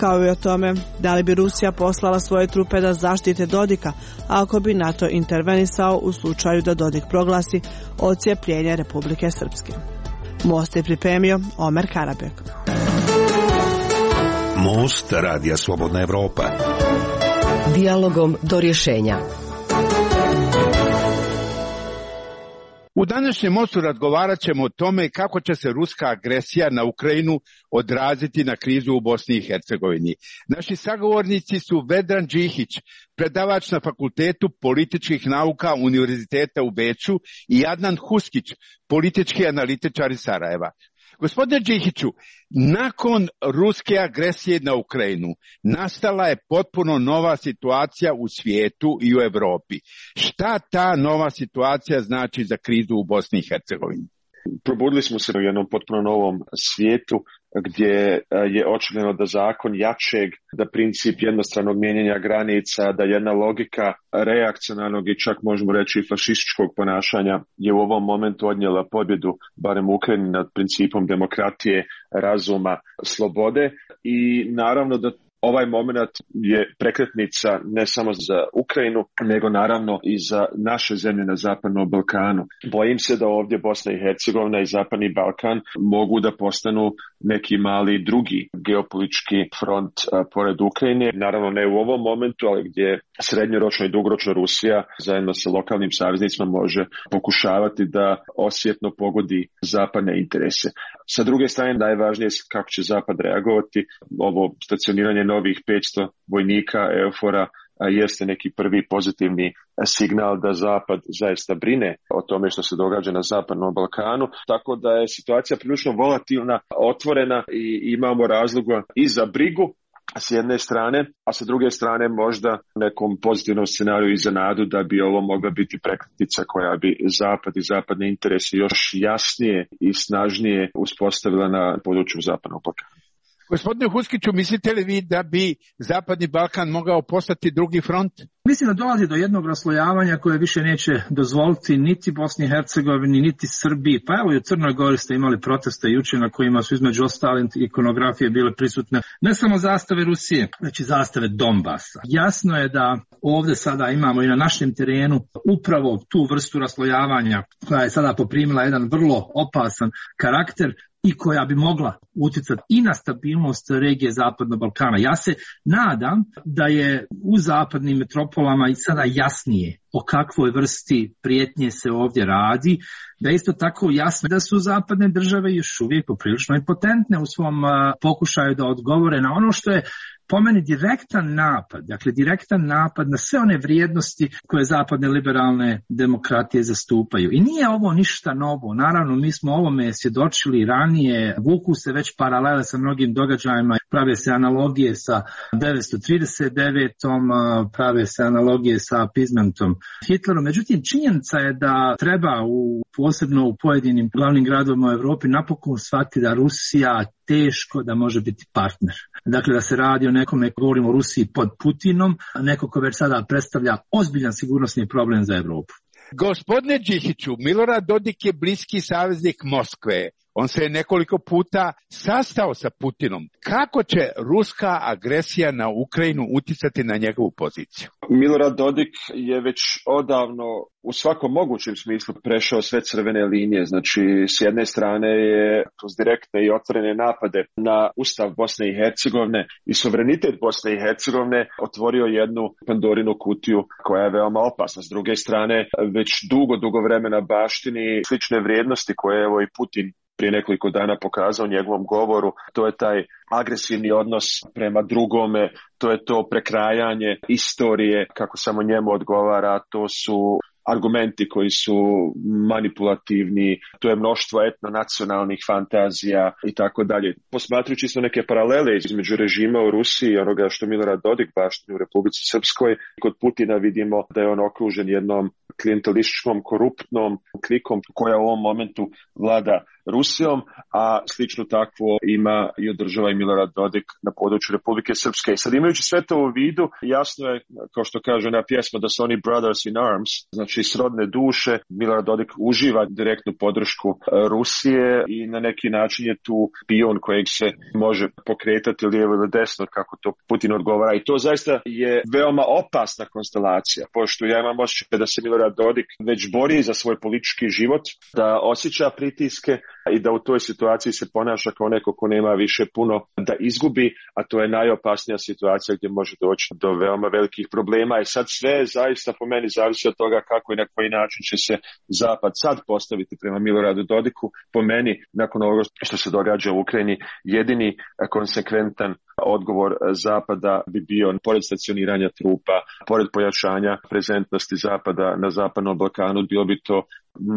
Kao i o tome da li bi Rusija poslala svoje trupe da zaštite Dodika ako bi NATO intervenisao u slučaju da Dodik proglasi odcijepljenje Republike Srpske. Most je pripremio Omer Karabek. Most Radija Slobodna Evropa. Dijalogom do rješenja. U današnjem mostu razgovarat ćemo o tome kako će se ruska agresija na Ukrajinu odraziti na krizu u Bosni i Hercegovini. Naši sagovornici su Vedran Džihić, predavač na Fakultetu političkih nauka Univerziteta u Beču, i Adnan Huskić, politički analitičar iz Sarajeva. Gospodine Džihiću, nakon ruske agresije na Ukrajinu nastala je potpuno nova situacija u svijetu i u Europi. Šta ta nova situacija znači za krizu u Bosni i Hercegovini? Probudili smo se u jednom potpuno novom svijetu gdje je očigledno da zakon jačeg, da princip jednostranog mijenjanja granica, da jedna logika reakcionarnog i čak možemo reći fašističkog ponašanja je u ovom momentu odnijela pobjedu, barem u Ukrajini, nad principom demokratije, razuma, slobode, i naravno da ovaj moment je prekretnica ne samo za Ukrajinu, nego naravno i za naše zemlje na Zapadnom Balkanu. Bojim se da ovdje Bosna i Hercegovina i Zapadni Balkan mogu da postanu neki mali drugi geopolitički front a, pored Ukrajine. Naravno ne u ovom momentu, ali gdje srednjoročno i dugoročno Rusija zajedno sa lokalnim saveznicima može pokušavati da osjetno pogodi zapadne interese. Sa druge strane, najvažnije je kako će Zapad reagovati. Ovo stacioniranje novih petsto vojnika EUFOR-a jeste neki prvi pozitivni signal da Zapad zaista brine o tome što se događa na Zapadnom Balkanu, tako da je situacija prilično volatilna, otvorena i imamo razloga i za brigu s jedne strane, a sa druge strane možda nekom pozitivnom scenariju i za nadu da bi ovo mogla biti prekretnica koja bi Zapad i zapadne interese još jasnije i snažnije uspostavila na području Zapadnog Balkana. Gospodine Huskiću, mislite li vi da bi Zapadni Balkan mogao postati drugi front? mislim da dolazi do jednog raslojavanja koje više neće dozvoliti niti Bosni i Hercegovini, niti Srbiji. Pa evo i u Crnoj Gori ste imali proteste jučer na kojima su između ostalih ikonografije bile prisutne ne samo zastave Rusije, već i zastave Donbasa. Jasno je da ovdje sada imamo i na našem terenu upravo tu vrstu raslojavanja koja je sada poprimila jedan vrlo opasan karakter i koja bi mogla utjecati i na stabilnost regije Zapadnog Balkana. Ja se nadam da je u zapadnim metropolama i sada jasnije o kakvoj vrsti prijetnje se ovdje radi, da je isto tako jasno da su zapadne države još uvijek poprilično impotentne u svom pokušaju da odgovore na ono što je po meni direktan napad, dakle direktan napad na sve one vrijednosti koje zapadne liberalne demokratije zastupaju. I nije ovo ništa novo, naravno mi smo ovome svjedočili ranije, vuku se već paralele sa mnogim događajima, prave se analogije sa devetsto trideset devetom, prave se analogije sa appeasementom Hitlerom. Međutim, činjenica je da treba u, posebno u pojedinim glavnim gradovima u Europi napokon shvatiti da Rusija teško da može biti partner. Dakle, da se radi o nekome, govorimo o Rusiji pod Putinom, neko ko već sada predstavlja ozbiljan sigurnosni problem za Europu. Gospodine Đikiću, Milorad Dodik je bliski saveznik Moskve. On se je nekoliko puta sastao sa Putinom. Kako će ruska agresija na Ukrajinu uticati na njegovu poziciju? Milorad Dodik je već odavno u svakom mogućem smislu prešao sve crvene linije. Znači, s jedne strane je kroz direktne i otvorene napade na Ustav Bosne i Hercegovine i suverenitet Bosne i Hercegovine otvorio jednu Pandorinu kutiju koja je veoma opasna. S druge strane, već dugo, dugo vremena baštini slične vrijednosti koje je evo i Putin prije nekoliko dana pokazao u njegovom govoru. To je taj agresivni odnos prema drugome, to je to prekrajanje istorije kako samo njemu odgovara, to su argumenti koji su manipulativni, to je mnoštvo etnonacionalnih fantazija i tako dalje. Posmatrujući su neke paralele između režima u Rusiji i onoga što Milorad Dodik baštini u Republici Srpskoj, kod Putina vidimo da je on okružen jednom klijentelističkom, koruptnom klikom koja u ovom momentu vlada Rusijom, a slično takvo ima i održava i Milorad Dodik na području Republike Srpske. I sad imajući sve to u vidu, jasno je, kao što kaže ona pjesma, da su oni brothers in arms, znači srodne duše. Milorad Dodik uživa direktnu podršku Rusije i na neki način je tu pion kojeg se može pokretati lijevo ili desno, kako to Putin odgovara. I to zaista je veoma opasna konstelacija, pošto ja imam osjećaj da se Milorad Dodik već bori za svoj politički život, da osjeća pritiske i da u toj situaciji se ponaša kao neko ko nema više puno da izgubi, a to je najopasnija situacija gdje može doći do veoma velikih problema. I sad sve zaista po meni zavisi od toga kako i na koji način će se Zapad sad postaviti prema Miloradu Dodiku. Po meni, nakon ovoga što se događa u Ukrajini, jedini konsekventan odgovor Zapada bi bio, pored stacioniranja trupa, pored pojačanja prezentnosti Zapada na Zapadnom Balkanu, bilo bi to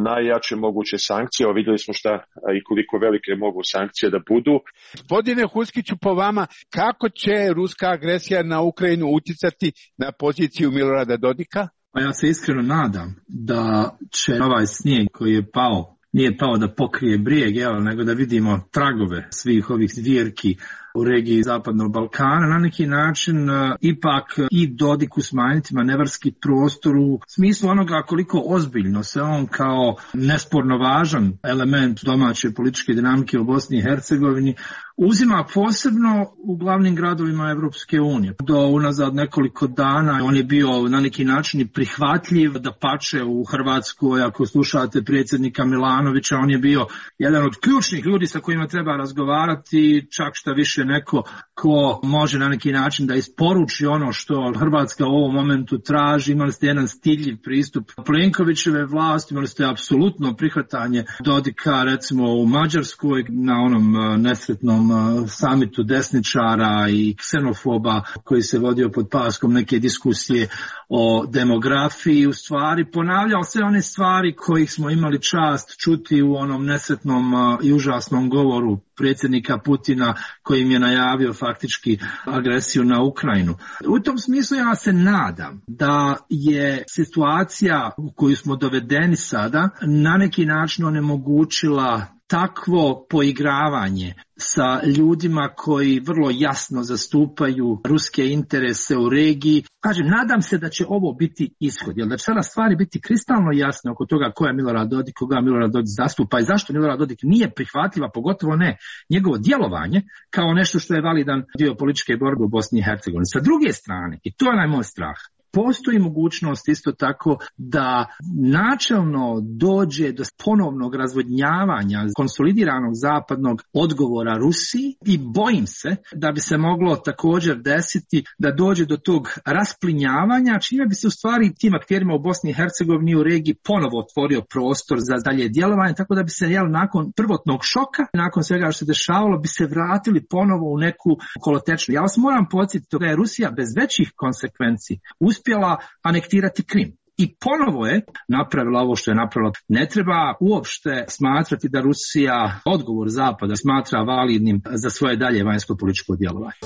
najjače moguće sankcije. O, vidjeli smo šta i koliko velike mogu sankcije da budu. Gospodine Huskiću, po vama, kako će ruska agresija na Ukrajinu uticati na poziciju Milorada Dodika? Pa ja se iskreno nadam da će ovaj snijeg koji je pao, nije pao da pokrije brijeg, evo, nego da vidimo tragove svih ovih zvjerki u regiji Zapadnog Balkana, na neki način uh, ipak i Dodiku smanjiti manevarski prostor u smislu onoga koliko ozbiljno se on kao nesporno važan element domaće političke dinamike u Bosni i Hercegovini uzima posebno u glavnim gradovima Evropske unije. Do unazad nekoliko dana on je bio na neki način prihvatljiv, da pače u Hrvatskoj, ako slušate predsjednika Milanovića, on je bio jedan od ključnih ljudi sa kojima treba razgovarati, čak šta više neko ko može na neki način da isporuči ono što Hrvatska u ovom momentu traži. Imali ste jedan stiljiv pristup Plenkovićeve vlasti, imali ste apsolutno prihvatanje Dodika recimo u Mađarskoj na onom nesretnom samitu desničara i ksenofoba koji se vodio pod paskom neke diskusije o demografiji. U stvari ponavljao sve one stvari kojih smo imali čast čuti u onom nesretnom i užasnom govoru predsjednika Putina kojim je najavio faktički agresiju na Ukrajinu. U tom smislu ja se nadam da je situacija u koju smo dovedeni sada na neki način onemogućila takvo poigravanje sa ljudima koji vrlo jasno zastupaju ruske interese u regiji. Kažem, nadam se da će ovo biti ishod, jer da će sada stvari biti kristalno jasne oko toga ko je Milorad Dodik, koga Milorad Dodik zastupa i zašto Milorad Dodik nije prihvatljiva, pogotovo ne njegovo djelovanje kao nešto što je validan dio političke borbe u Bosni i Hercegovini. Sa druge strane, i to je najmoj strah, postoji mogućnost isto tako da načelno dođe do ponovnog razvodnjavanja konsolidiranog zapadnog odgovora Rusiji i bojim se da bi se moglo također desiti da dođe do tog rasplinjavanja, čime bi se u stvari tim akterima u Bosni i Hercegovini u regiji ponovo otvorio prostor za dalje djelovanje, tako da bi se jel, nakon prvotnog šoka, nakon svega što se dešavalo, bi se vratili ponovo u neku kolotečnu. Ja vas moram podsjetiti da je Rusija bez većih konsekvenci uspjela anektirati Krim. I ponovo je napravila ovo što je napravila. Ne treba uopšte smatrati da Rusija odgovor Zapada smatra validnim za svoje dalje vanjsko političko djelovanje.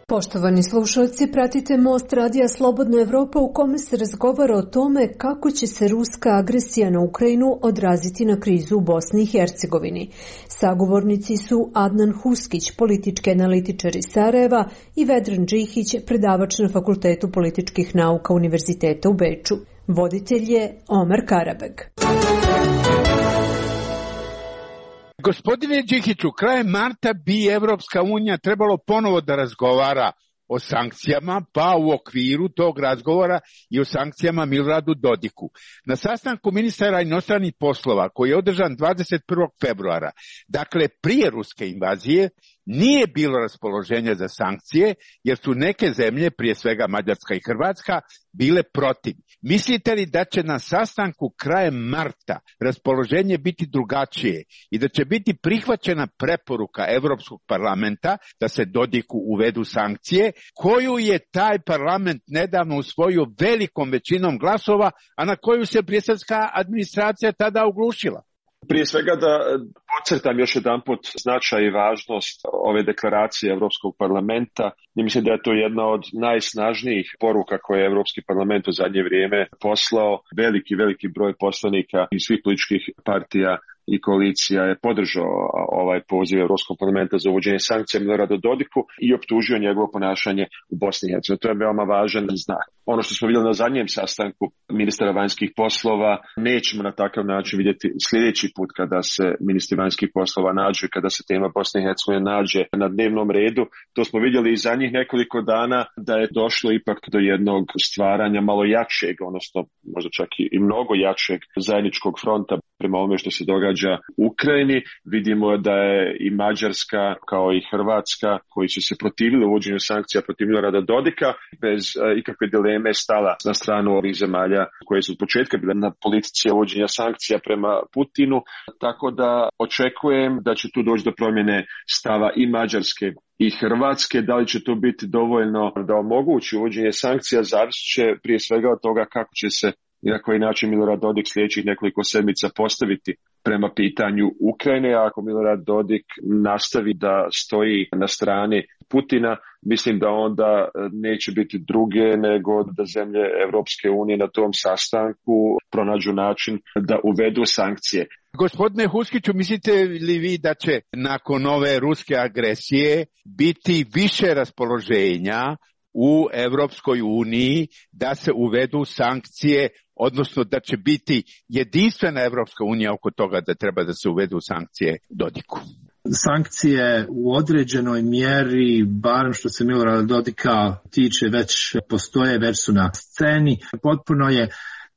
Poštovani slušalci, pratite Most radija Slobodna Evropa u kome se razgovara o tome kako će se ruska agresija na Ukrajinu odraziti na krizu u Bosni i Hercegovini. Sagovornici su Adnan Huskić, politički analitičar iz Sarajeva, i Vedran Džihić, predavač na Fakultetu političkih nauka Univerziteta u Beču. Voditelj je Omar Karabeg. Gospodine Đihiću, krajem marta bi Evropska unija trebalo ponovo da razgovara o sankcijama, pa u okviru tog razgovora i o sankcijama Miloradu Dodiku. Na sastanku ministara inostranih poslova, koji je održan dvadeset prvog februara, dakle prije ruske invazije, nije bilo raspoloženja za sankcije, jer su neke zemlje, prije svega Mađarska i Hrvatska, bile protiv. Mislite li da će na sastanku krajem marta raspoloženje biti drugačije i da će biti prihvaćena preporuka Evropskog parlamenta da se Dodiku uvedu sankcije, koju je taj parlament nedavno usvojio velikom većinom glasova, a na koju se briselska administracija tada oglušila? Prije svega da podcrtam još jedanput značaj i važnost ove deklaracije Europskog parlamenta. I mislim da je to jedna od najsnažnijih poruka koje je Europski parlament u zadnje vrijeme poslao. Veliki, veliki broj poslanika iz svih političkih partija i koalicija je podržao ovaj poziv Europskog parlamenta za uvođenje sankcija Miloradu Dodiku i optužio njegovo ponašanje u Bosni i Hercegovini. To je veoma važan znak. Ono što smo vidjeli na zadnjem sastanku ministara vanjskih poslova nećemo na takav način vidjeti sljedeći put kada se ministri vanjskih poslova nađu i kada se tema Bosne i Hercegovine nađe na dnevnom redu. To smo vidjeli i zadnjih nekoliko dana da je došlo ipak do jednog stvaranja malo jačeg, odnosno možda čak i mnogo jačeg zajedničkog fronta prema ovome što se događa u Ukrajini. Vidimo da je i Mađarska kao i Hrvatska, koji su se protivili uvođenju sankcija protiv Milorada Dodika, bez uh, ikakve dileme stala na stranu ovih zemalja koje su od početka bile na politici uvođenja sankcija prema Putinu. Tako da očekujem da će tu doći do promjene stava i Mađarske i Hrvatske. Da li će to biti dovoljno da omogući uvođenje sankcija, zavisit će prije svega od toga kako će se i na koji način Milorad Dodik sljedećih nekoliko sedmica postaviti prema pitanju Ukrajine. A ako Milorad Dodik nastavi da stoji na strani Putina, mislim da onda neće biti druge nego da zemlje Evropske unije na tom sastanku pronađu način da uvedu sankcije. Gospodine Huskiću, mislite li vi da će nakon ove ruske agresije biti više raspoloženja u Evropskoj uniji da se uvedu sankcije, odnosno da će biti jedinstvena Evropska unija oko toga da treba da se uvedu sankcije Dodiku? Sankcije u određenoj mjeri, barem što se Milorada Dodika tiče, već postoje, već su na sceni. Potpuno je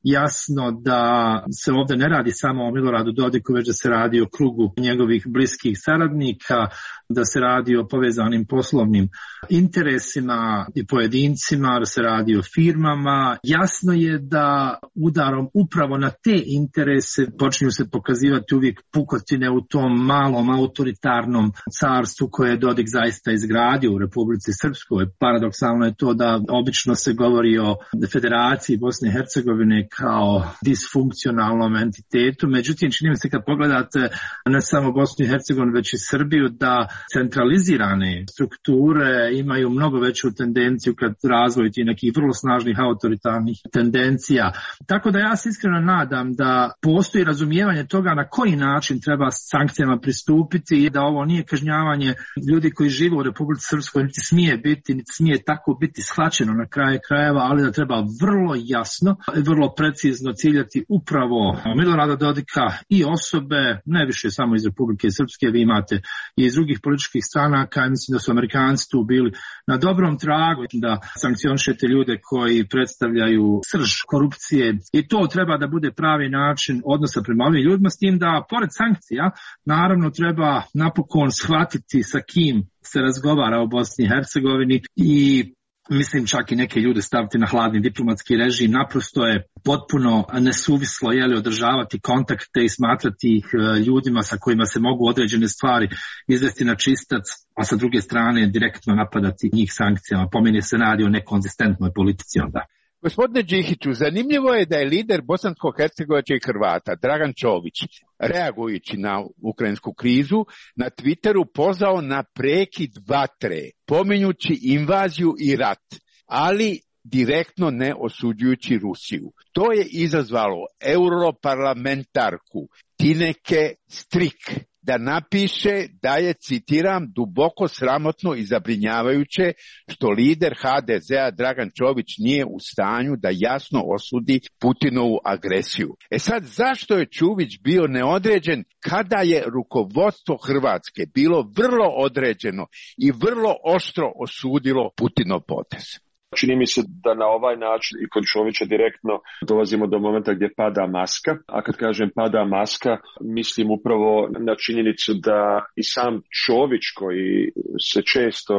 jasno da se ovdje ne radi samo o Miloradu Dodiku, već da se radi o krugu njegovih bliskih saradnika, da se radi o povezanim poslovnim interesima i pojedincima, da se radi o firmama. Jasno je da udarom upravo na te interese počinju se pokazivati uvijek pukotine u tom malom autoritarnom carstvu koje je Dodik zaista izgradio u Republici Srpskoj. Paradoksalno je to da obično se govori o Federaciji Bosne i Hercegovine kao disfunkcionalnom entitetu. Međutim, čini mi se kad pogledate ne samo Bosnu i Hercegovinu, već i Srbiju, da centralizirane strukture imaju mnogo veću tendenciju kad razvoju ti nekih vrlo snažnih autoritarnih tendencija. Tako da ja se iskreno nadam da postoji razumijevanje toga na koji način treba sankcijama pristupiti i da ovo nije kažnjavanje ljudi koji žive u Republici Srpskoj, niti smije biti, niti smije tako biti shvaćeno na kraju krajeva, ali da treba vrlo jasno i vrlo precizno ciljati upravo Milorada Dodika i osobe, ne više samo iz Republike Srpske, vi imate i iz drugih političkih stranaka, mislim da su Amerikanci tu bili na dobrom tragu da sankcionišete ljude koji predstavljaju srž korupcije i to treba da bude pravi način odnosa prema ovim ljudima, s tim da pored sankcija naravno treba napokon shvatiti sa kim se razgovara o Bosni i Hercegovini i mislim čak i neke ljude staviti na hladni diplomatski režim. Naprosto je potpuno nesuvislo je li održavati kontakte i smatrati ih ljudima sa kojima se mogu određene stvari izvesti na čistac, a sa druge strane direktno napadati njih sankcijama. Po meni se radi o nekonzistentnoj politici onda. Gospodine Đihiću, zanimljivo je da je lider bosansko-hercegovačkih Hrvata, Dragan Čović, reagujući na ukrajinsku krizu, na Twitteru pozvao na prekid vatre, pominjući invaziju i rat, ali direktno ne osuđujući Rusiju. To je izazvalo europarlamentarku Tineke Strik da napiše da je, citiram, duboko sramotno i zabrinjavajuće što lider ha de zea Dragan Čović nije u stanju da jasno osudi Putinovu agresiju. E sad, zašto je Čović bio neodređen kada je rukovodstvo Hrvatske bilo vrlo određeno i vrlo oštro osudilo Putinov potez? Čini mi se da na ovaj način i kod Čovića direktno dolazimo do momenta gdje pada maska, a kad kažem pada maska, mislim upravo na činjenicu da i sam Čović koji se često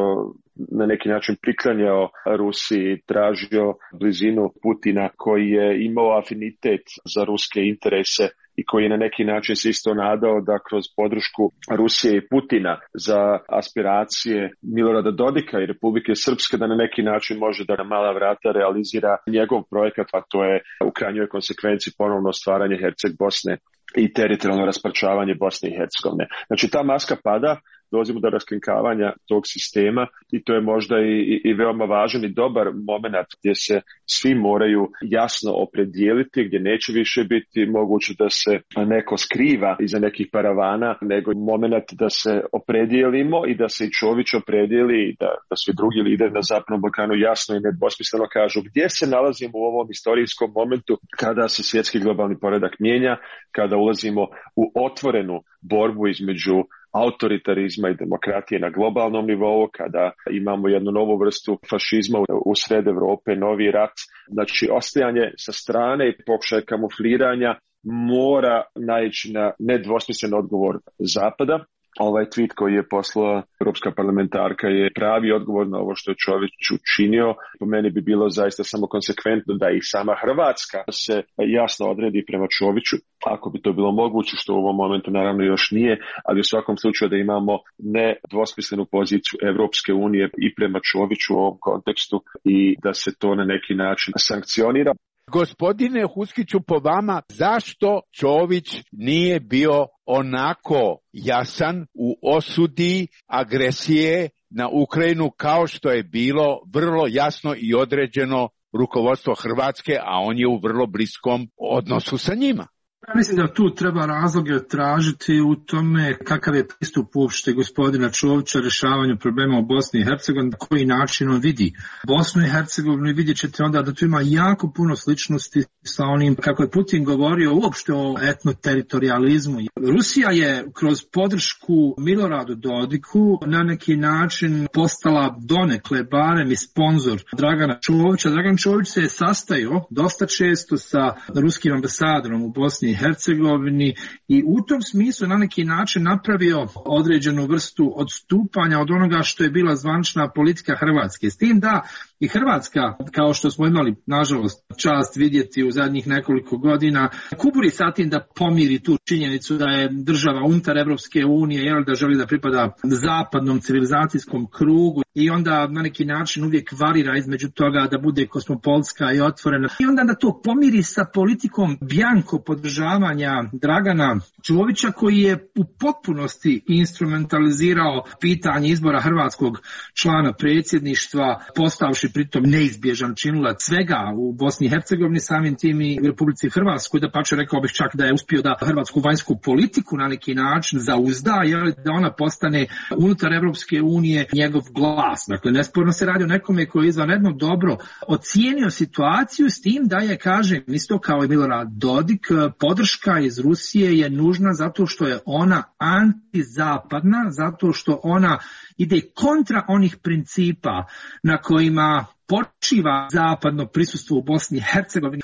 na neki način priklanjao Rusiji, tražio blizinu Putina, koji je imao afinitet za ruske interese i koji je na neki način se isto nadao da kroz podršku Rusije i Putina za aspiracije Milorada Dodika i Republike Srpske da na neki način može da na mala vrata realizira njegov projekat, a to je u krajnjoj konsekvenciji ponovno stvaranje Herceg Bosne i teritorijalno rasparčavanje Bosne i Hercegovine. Znači ta maska pada, dolazimo do raskrinkavanja tog sistema i to je možda i, i, i veoma važan i dobar moment gdje se svi moraju jasno opredijeliti, gdje neće više biti moguće da se neko skriva iza nekih paravana, nego moment da se opredijelimo i da se i Čović opredijeli i da, da svi drugi lideri na Zapadnom Balkanu jasno i nedvosmisleno kažu gdje se nalazimo u ovom istorijskom momentu kada se svjetski globalni poredak mijenja, kada ulazimo u otvorenu borbu između autoritarizma i demokratije na globalnom nivou, kada imamo jednu novu vrstu fašizma u sred Evrope, novi rat. Znači, ostajanje sa strane i pokušaj kamufliranja mora naići na nedvosmislen odgovor Zapada. Ovaj tweet koji je poslala europska parlamentarka je pravi odgovor na ovo što je Čović učinio. Po meni bi bilo zaista samo konsekventno da i sama Hrvatska se jasno odredi prema Čoviću, ako bi to bilo moguće, što u ovom momentu naravno još nije, ali u svakom slučaju da imamo nedvosmislenu poziciju Evropske unije i prema Čoviću u ovom kontekstu i da se to na neki način sankcionira. Gospodine Huskiću, po vama, zašto Čović nije bio onako jasan u osudi agresije na Ukrajinu kao što je bilo vrlo jasno i određeno rukovodstvo Hrvatske, a on je u vrlo bliskom odnosu sa njima? Ja mislim da tu treba razloge tražiti u tome kakav je pristup uopšte gospodina Čovića rješavanju problema u Bosni i Hercegovini, na koji način on vidi Bosnu i Hercegovinu i vidjet ćete onda da tu ima jako puno sličnosti sa onim kako je Putin govorio uopšte o etnoteritorializmu. Rusija je kroz podršku Miloradu Dodiku na neki način postala donekle barem i sponzor Dragana Čovića. Dragan Čović se je sastajao dosta često sa ruskim ambasadorom u Bosni i Hercegovini i u tom smislu na neki način napravio određenu vrstu odstupanja od onoga što je bila zvanična politika Hrvatske. S tim da I Hrvatska, kao što smo imali, nažalost, čast vidjeti u zadnjih nekoliko godina, kuburi sa tim da pomiri tu činjenicu da je država unutar Evropske unije, jel, da želi da pripada zapadnom civilizacijskom krugu i onda na neki način uvijek varira između toga da bude kosmopolska i otvorena. I onda da to pomiri sa politikom bjanko podržavanja Dragana Čovića, koji je u potpunosti instrumentalizirao pitanje izbora hrvatskog člana predsjedništva, postavši pritom neizbježan činilac svega u Bosni i Hercegovini, samim tim i u Republici Hrvatskoj, da pače rekao bih čak da je uspio da hrvatsku vanjsku politiku na neki način zauzda, jer da ona postane unutar Evropske unije njegov glas. Dakle, nesporno se radi o nekome koji je izvanredno dobro ocijenio situaciju, s tim da je, kažem, isto kao i Milorad Dodik, podrška iz Rusije je nužna zato što je ona antizapadna, zato što ona ide kontra onih principa na kojima počiva zapadno prisustvo u Bosni i Hercegovini.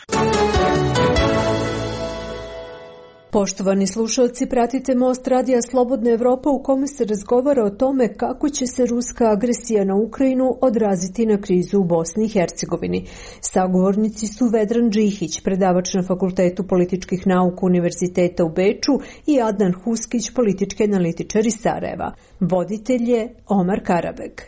Poštovani slušalci, pratite Most radija Slobodna Evropa u kome se razgovara o tome kako će se ruska agresija na Ukrajinu odraziti na krizu u Bosni i Hercegovini. Sagovornici su Vedran Džihić, predavač na Fakultetu političkih nauka Univerziteta u Beču, i Adnan Huskić, politički analitičar iz Sarajeva. Voditelj je Omar Karabek.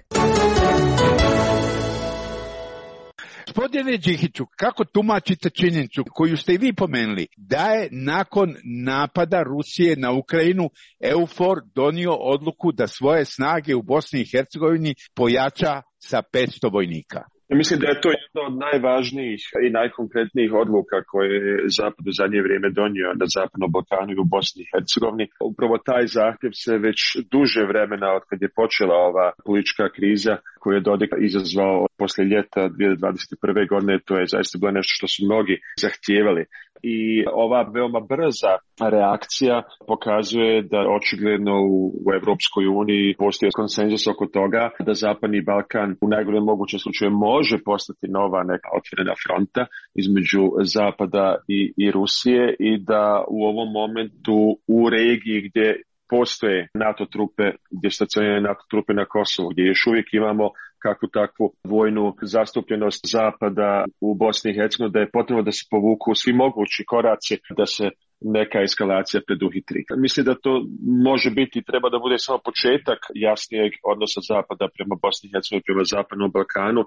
Gospodine Džihiću, kako tumačite činjenicu koju ste i vi pomenuli, da je nakon napada Rusije na Ukrajinu EUFOR donio odluku da svoje snage u Bosni i Hercegovini pojača sa petsto vojnika? Mislim da je to jedna od najvažnijih i najkonkretnijih odluka koje je Zapad u zadnje vrijeme donio na Zapadnom Balkanu i u Bosni i Hercegovini. Upravo taj zahtjev se već duže vremena od kad je počela ova politička kriza koju je Dodik izazvao poslije ljeta dvije tisuće dvadeset prve godine, to je zaista bilo nešto što su mnogi zahtijevali. I ova veoma brza reakcija pokazuje da očigledno u, u Evropskoj uniji postoji konsenzus oko toga da Zapadni Balkan u najgorem mogućem slučaju može postati nova neka otvorena fronta između Zapada i, i Rusije, i da u ovom momentu u regiji gdje postoje NATO trupe, gdje stacioniraju NATO trupe na Kosovu, gdje još uvijek imamo kakvu takvu vojnu zastupljenost Zapada u Bosni i Hercegovini, da je potrebno da se povuku svi mogući koraci da se neka eskalacija preduhitri. Mislim da to može biti, treba da bude samo početak jasnijeg odnosa Zapada prema Bosni i Hercegovini, prema Zapadnom Balkanu.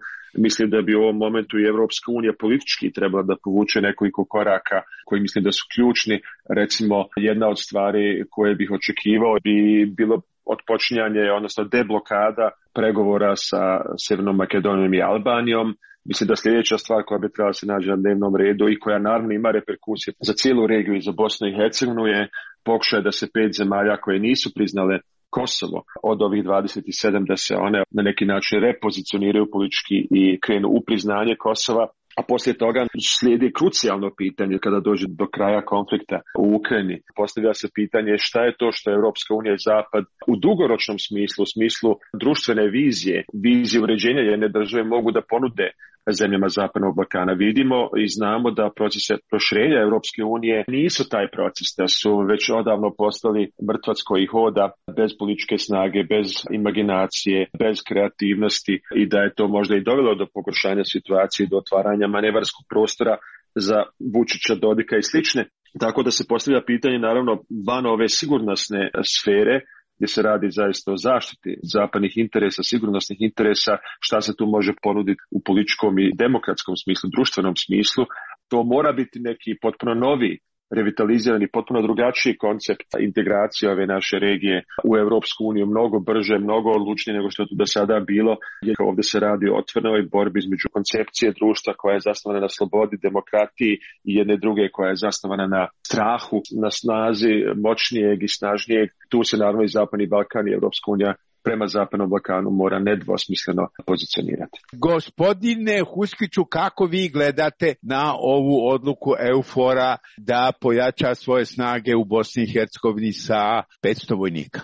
Mislim da bi u ovom momentu i Evropska unija politički trebala da povuče nekoliko koraka koji mislim da su ključni. Recimo, jedna od stvari koje bih očekivao bi bilo odpočinjanje, odnosno deblokada pregovora sa Sjevernom Makedonijom i Albanijom. Mislim da sljedeća stvar koja bi trebala se naći na dnevnom redu i koja naravno ima reperkusije za cijelu regiju i za Bosnu i Hercegovinu je pokušaj da se pet zemalja koje nisu priznale Kosovo od ovih dvadeset sedam, da se one na neki način repozicioniraju politički i krenu u priznanje Kosova. A poslije toga slijedi krucijalno pitanje kada dođe do kraja konflikta u Ukrajini. Postavlja se pitanje šta je to što Europska unija i Zapad u dugoročnom smislu, u smislu društvene vizije, vizije uređenja jedne države mogu da ponude zemljama Zapadnog Balkana. Vidimo i znamo da procese proširenja Europske unije nisu taj proces, da su već odavno postali mrtvac koji hoda bez političke snage, bez imaginacije, bez kreativnosti, i da je to možda i dovelo do pogoršanja situacije, do otvaranja manevarskog prostora za Vučića, Dodika i slične. Tako da se postavlja pitanje naravno van ove sigurnosne sfere, gdje se radi zaista o zaštiti zapadnih interesa, sigurnosnih interesa, šta se tu može ponuditi u političkom i demokratskom smislu, društvenom smislu. To mora biti neki potpuno novi, revitalizirani, potpuno drugačiji koncept integracije ove naše regije u Europsku uniju, mnogo brže, mnogo odlučnije nego što je to do sada bilo. Ovdje se radi o otvorenoj borbi između koncepcije društva koja je zasnovana na slobodi, demokratiji i jedne druge koja je zasnovana na strahu, na snazi moćnijeg i snažnijeg. Tu se naravno i Zapadni Balkan i Europska unija prema Zapadnom Balkanu mora nedvosmisleno pozicionirati. Gospodine Huskiću, kako vi gledate na ovu odluku EUFOR-a da pojača svoje snage u Bosni i Hercegovini sa petsto vojnika?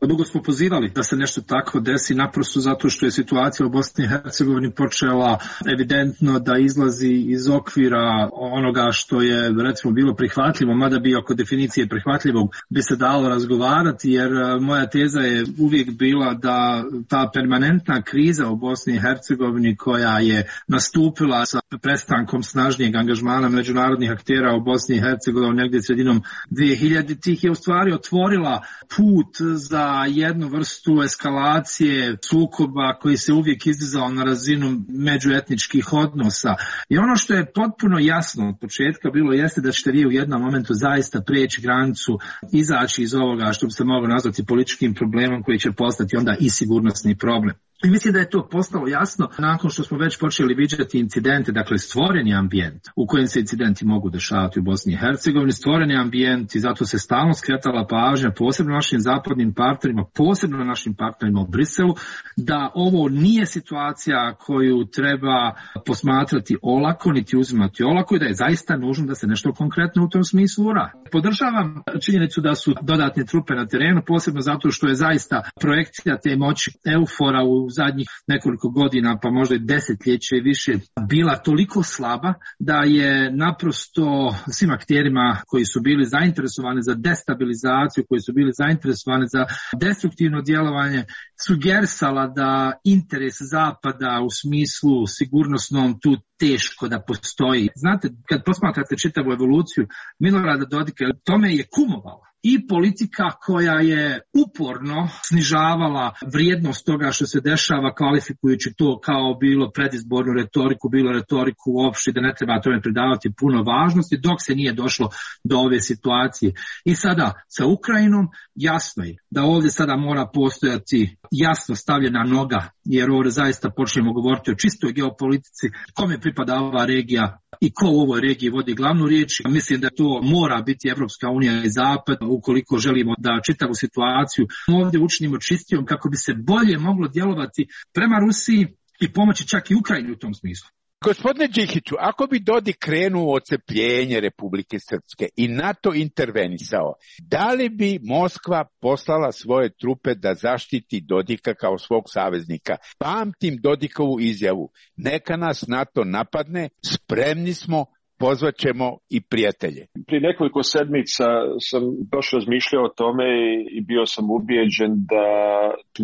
Dugo smo pozivali da se nešto tako desi, naprosto zato što je situacija u Bosni i Hercegovini počela evidentno da izlazi iz okvira onoga što je recimo bilo prihvatljivo, mada bi oko definicije prihvatljivog bi se dalo razgovarati, jer moja teza je uvijek bila da ta permanentna kriza u Bosni i Hercegovini koja je nastupila sa prestankom snažnijeg angažmana međunarodnih aktera u Bosni i Hercegovini negdje sredinom dvije hiljaditih je u stvari otvorila put za jednu vrstu eskalacije sukoba koji se uvijek izdizao na razinu međuetničkih odnosa. I ono što je potpuno jasno od početka bilo jeste da ćete vi u jednom momentu zaista prijeći granicu, izaći iz ovoga što bi se moglo nazvati političkim problemom koji će postati onda i sigurnosni problem. I mislim da je to postalo jasno nakon što smo već počeli viđati incidente, dakle stvoreni ambijent u kojem se incidenti mogu dešavati u Bosni i Hercegovini, stvoreni ambijent i zato se stalno skretala pažnja posebno našim zapadnim partnerima, posebno našim partnerima u Briselu, da ovo nije situacija koju treba posmatrati olako, niti uzimati olako i da je zaista nužno da se nešto konkretno u tom smislu uradi. Podržavam činjenicu da su dodatne trupe na terenu, posebno zato što je zaista projekcija te moći eufora u u zadnjih nekoliko godina, pa možda i desetljeće više, bila toliko slaba da je naprosto svim akterima koji su bili zainteresovani za destabilizaciju, koji su bili zainteresovani za destruktivno djelovanje, sugerisala da interes Zapada u smislu sigurnosnom tu teško da postoji. Znate, kad posmatrate čitavu evoluciju Milorada Dodika, tome je kumovalo i politika koja je uporno snižavala vrijednost toga što se dešava, kvalifikujući to kao bilo predizbornu retoriku, bilo retoriku uopšte, da ne treba tome pridavati puno važnosti, dok se nije došlo do ove situacije. I sada sa Ukrajinom jasno je da ovdje sada mora postojati jasno stavljena noga, jer ovdje zaista počnemo govoriti o čistoj geopolitici, kome pripada ova regija i ko u ovoj regiji vodi glavnu riječ. Mislim da to mora biti Evropska unija i Zapad ukoliko želimo da čitavu situaciju ovdje učinimo čistijom kako bi se bolje moglo djelovati prema Rusiji i pomoći čak i Ukrajini u tom smislu. Gospodine Đikiću, ako bi Dodik krenuo ocepljenje Republike Srpske i NATO intervenisao, da li bi Moskva poslala svoje trupe da zaštiti Dodika kao svog saveznika? Pamtim Dodikovu izjavu, neka nas NATO napadne, spremni smo, pozvat ćemo i prijatelje. Prije nekoliko sedmica sam baš razmišljao o tome i bio sam ubijeđen da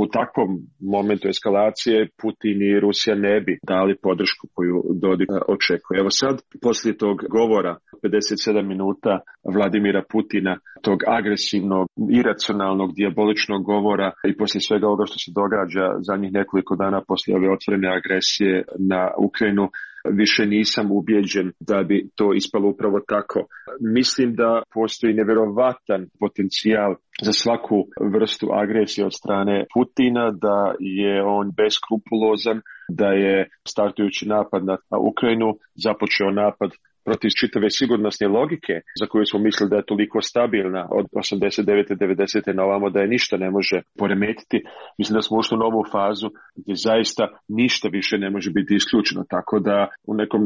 u takvom momentu eskalacije Putin i Rusija ne bi dali podršku koju Dodik očekuje. Evo sad, poslije tog govora pedeset sedam minuta Vladimira Putina, tog agresivnog, iracionalnog, dijaboličnog govora i poslije svega ovoga što se događa zadnjih nekoliko dana poslije ove otvorene agresije na Ukrajinu, više nisam ubijeđen da bi to ispalo upravo tako. Mislim da postoji nevjerovatan potencijal za svaku vrstu agresije od strane Putina, da je on beskrupulozan, da je startujući napad na Ukrajinu započeo napad protiv čitave sigurnosne logike za koju smo mislili da je toliko stabilna od osamdeset devete devedesete na ovamo da je ništa ne može poremetiti. Mislim da smo ušli u novu fazu gdje zaista ništa više ne može biti isključeno. Tako da u nekom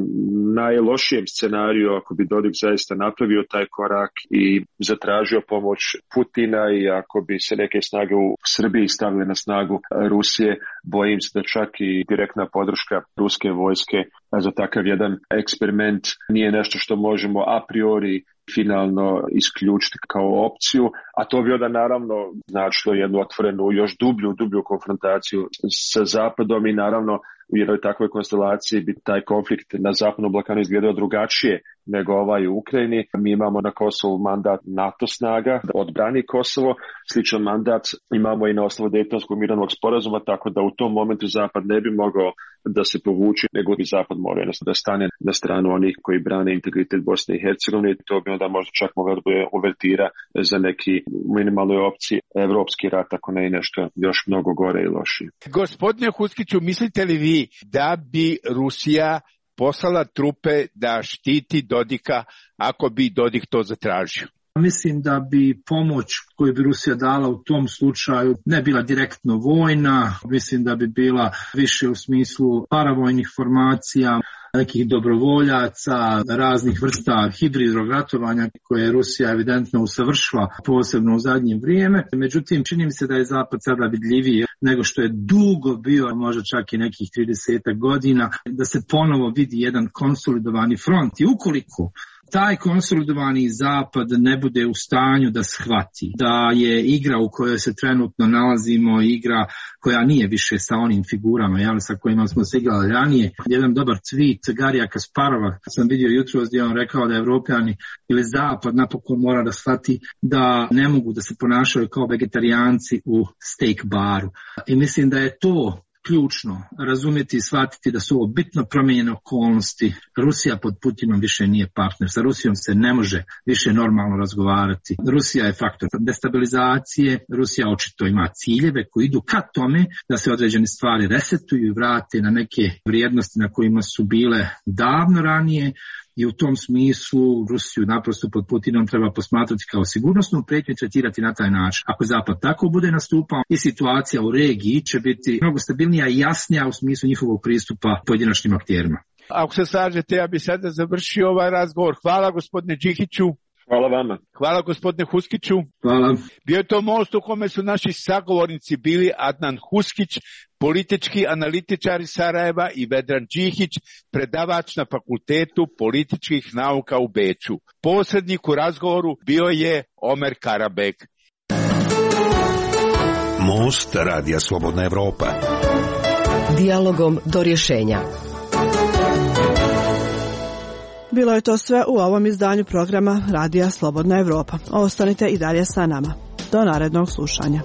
najlošijem scenariju, ako bi Dodik zaista napravio taj korak i zatražio pomoć Putina i ako bi se neke snage u Srbiji stavile na snagu Rusije, bojim se da čak i direktna podrška ruske vojske za takav jedan eksperiment nije nešto što možemo a priori finalno isključiti kao opciju, a to bi onda naravno značilo jednu otvorenu, još dublju, dublju konfrontaciju sa Zapadom i naravno u jednoj takvoj konstelaciji bi taj konflikt na Zapadnom Balkanu izgledao drugačije nego ovaj u Ukrajini. Mi imamo na Kosovu mandat NATO snaga da odbrani Kosovo, sličan mandat imamo i na osnovu Dejtonskog mirovnog sporazuma, tako da u tom momentu Zapad ne bi mogao da se povuči, nego bi Zapad morao da stane na stranu onih koji brane integritet Bosne i Hercegovine. To bi onda možda čak mogao da bude uvertira za neki minimalnoj opciji evropski rat, ako ne i nešto još mnogo gore i lošije. Gospodine Huskiću, mislite li vi da bi Rusija poslala trupe da štiti Dodika ako bi Dodik to zatražio? Mislim da bi pomoć koju bi Rusija dala u tom slučaju ne bila direktno vojna, mislim da bi bila više u smislu paravojnih formacija. nekih dobrovoljaca, raznih vrsta hibridnog ratovanja koje Rusija evidentno usavršila, posebno u zadnje vrijeme. Međutim, čini mi se da je Zapad sada vidljiviji nego što je dugo bio, možda čak i nekih trideset godina, da se ponovo vidi jedan konsolidovani front. I ukoliko taj konsolidovani Zapad ne bude u stanju da shvati da je igra u kojoj se trenutno nalazimo igra koja nije više sa onim figurama, jel, sa kojima smo se igrali ranije. Jedan dobar tweet Garija Kasparova sam vidio jutros gdje on rekao da Evropljani ili Zapad napokon mora da shvati da ne mogu da se ponašaju kao vegetarijanci u steak baru. I mislim da je to ključno razumjeti i shvatiti da su ovo bitno promijenjene okolnosti. Rusija pod Putinom više nije partner. Sa Rusijom se ne može više normalno razgovarati. Rusija je faktor destabilizacije. Rusija očito ima ciljeve koji idu ka tome da se određene stvari resetuju i vrate na neke vrijednosti na kojima su bile davno ranije. I u tom smislu Rusiju naprosto pod Putinom treba posmatrati kao sigurnosnu prijetnju i tretirati na taj način. Ako Zapad tako bude nastupao, i situacija u regiji će biti mnogo stabilnija i jasnija u smislu njihovog pristupa pojedinačnim akterima. Ako se slažete, ja bih sada završio ovaj razgovor. Hvala gospodine Đihiću. Hvala vama. Hvala gospodine Huskiću. Hvala. Bio je to most u kome su naši sagovornici bili Adnan Huskić, politički analitičar iz Sarajeva, i Vedran Đihić, predavač na Fakultetu političkih nauka u Beču. Posrednik u razgovoru bio je Omer Karabek. Most Radija Slobodna Evropa. Dijalogom do rješenja. Bilo je to sve u ovom izdanju programa Radija Slobodna Evropa. Ostanite i dalje sa nama. Do narednog slušanja.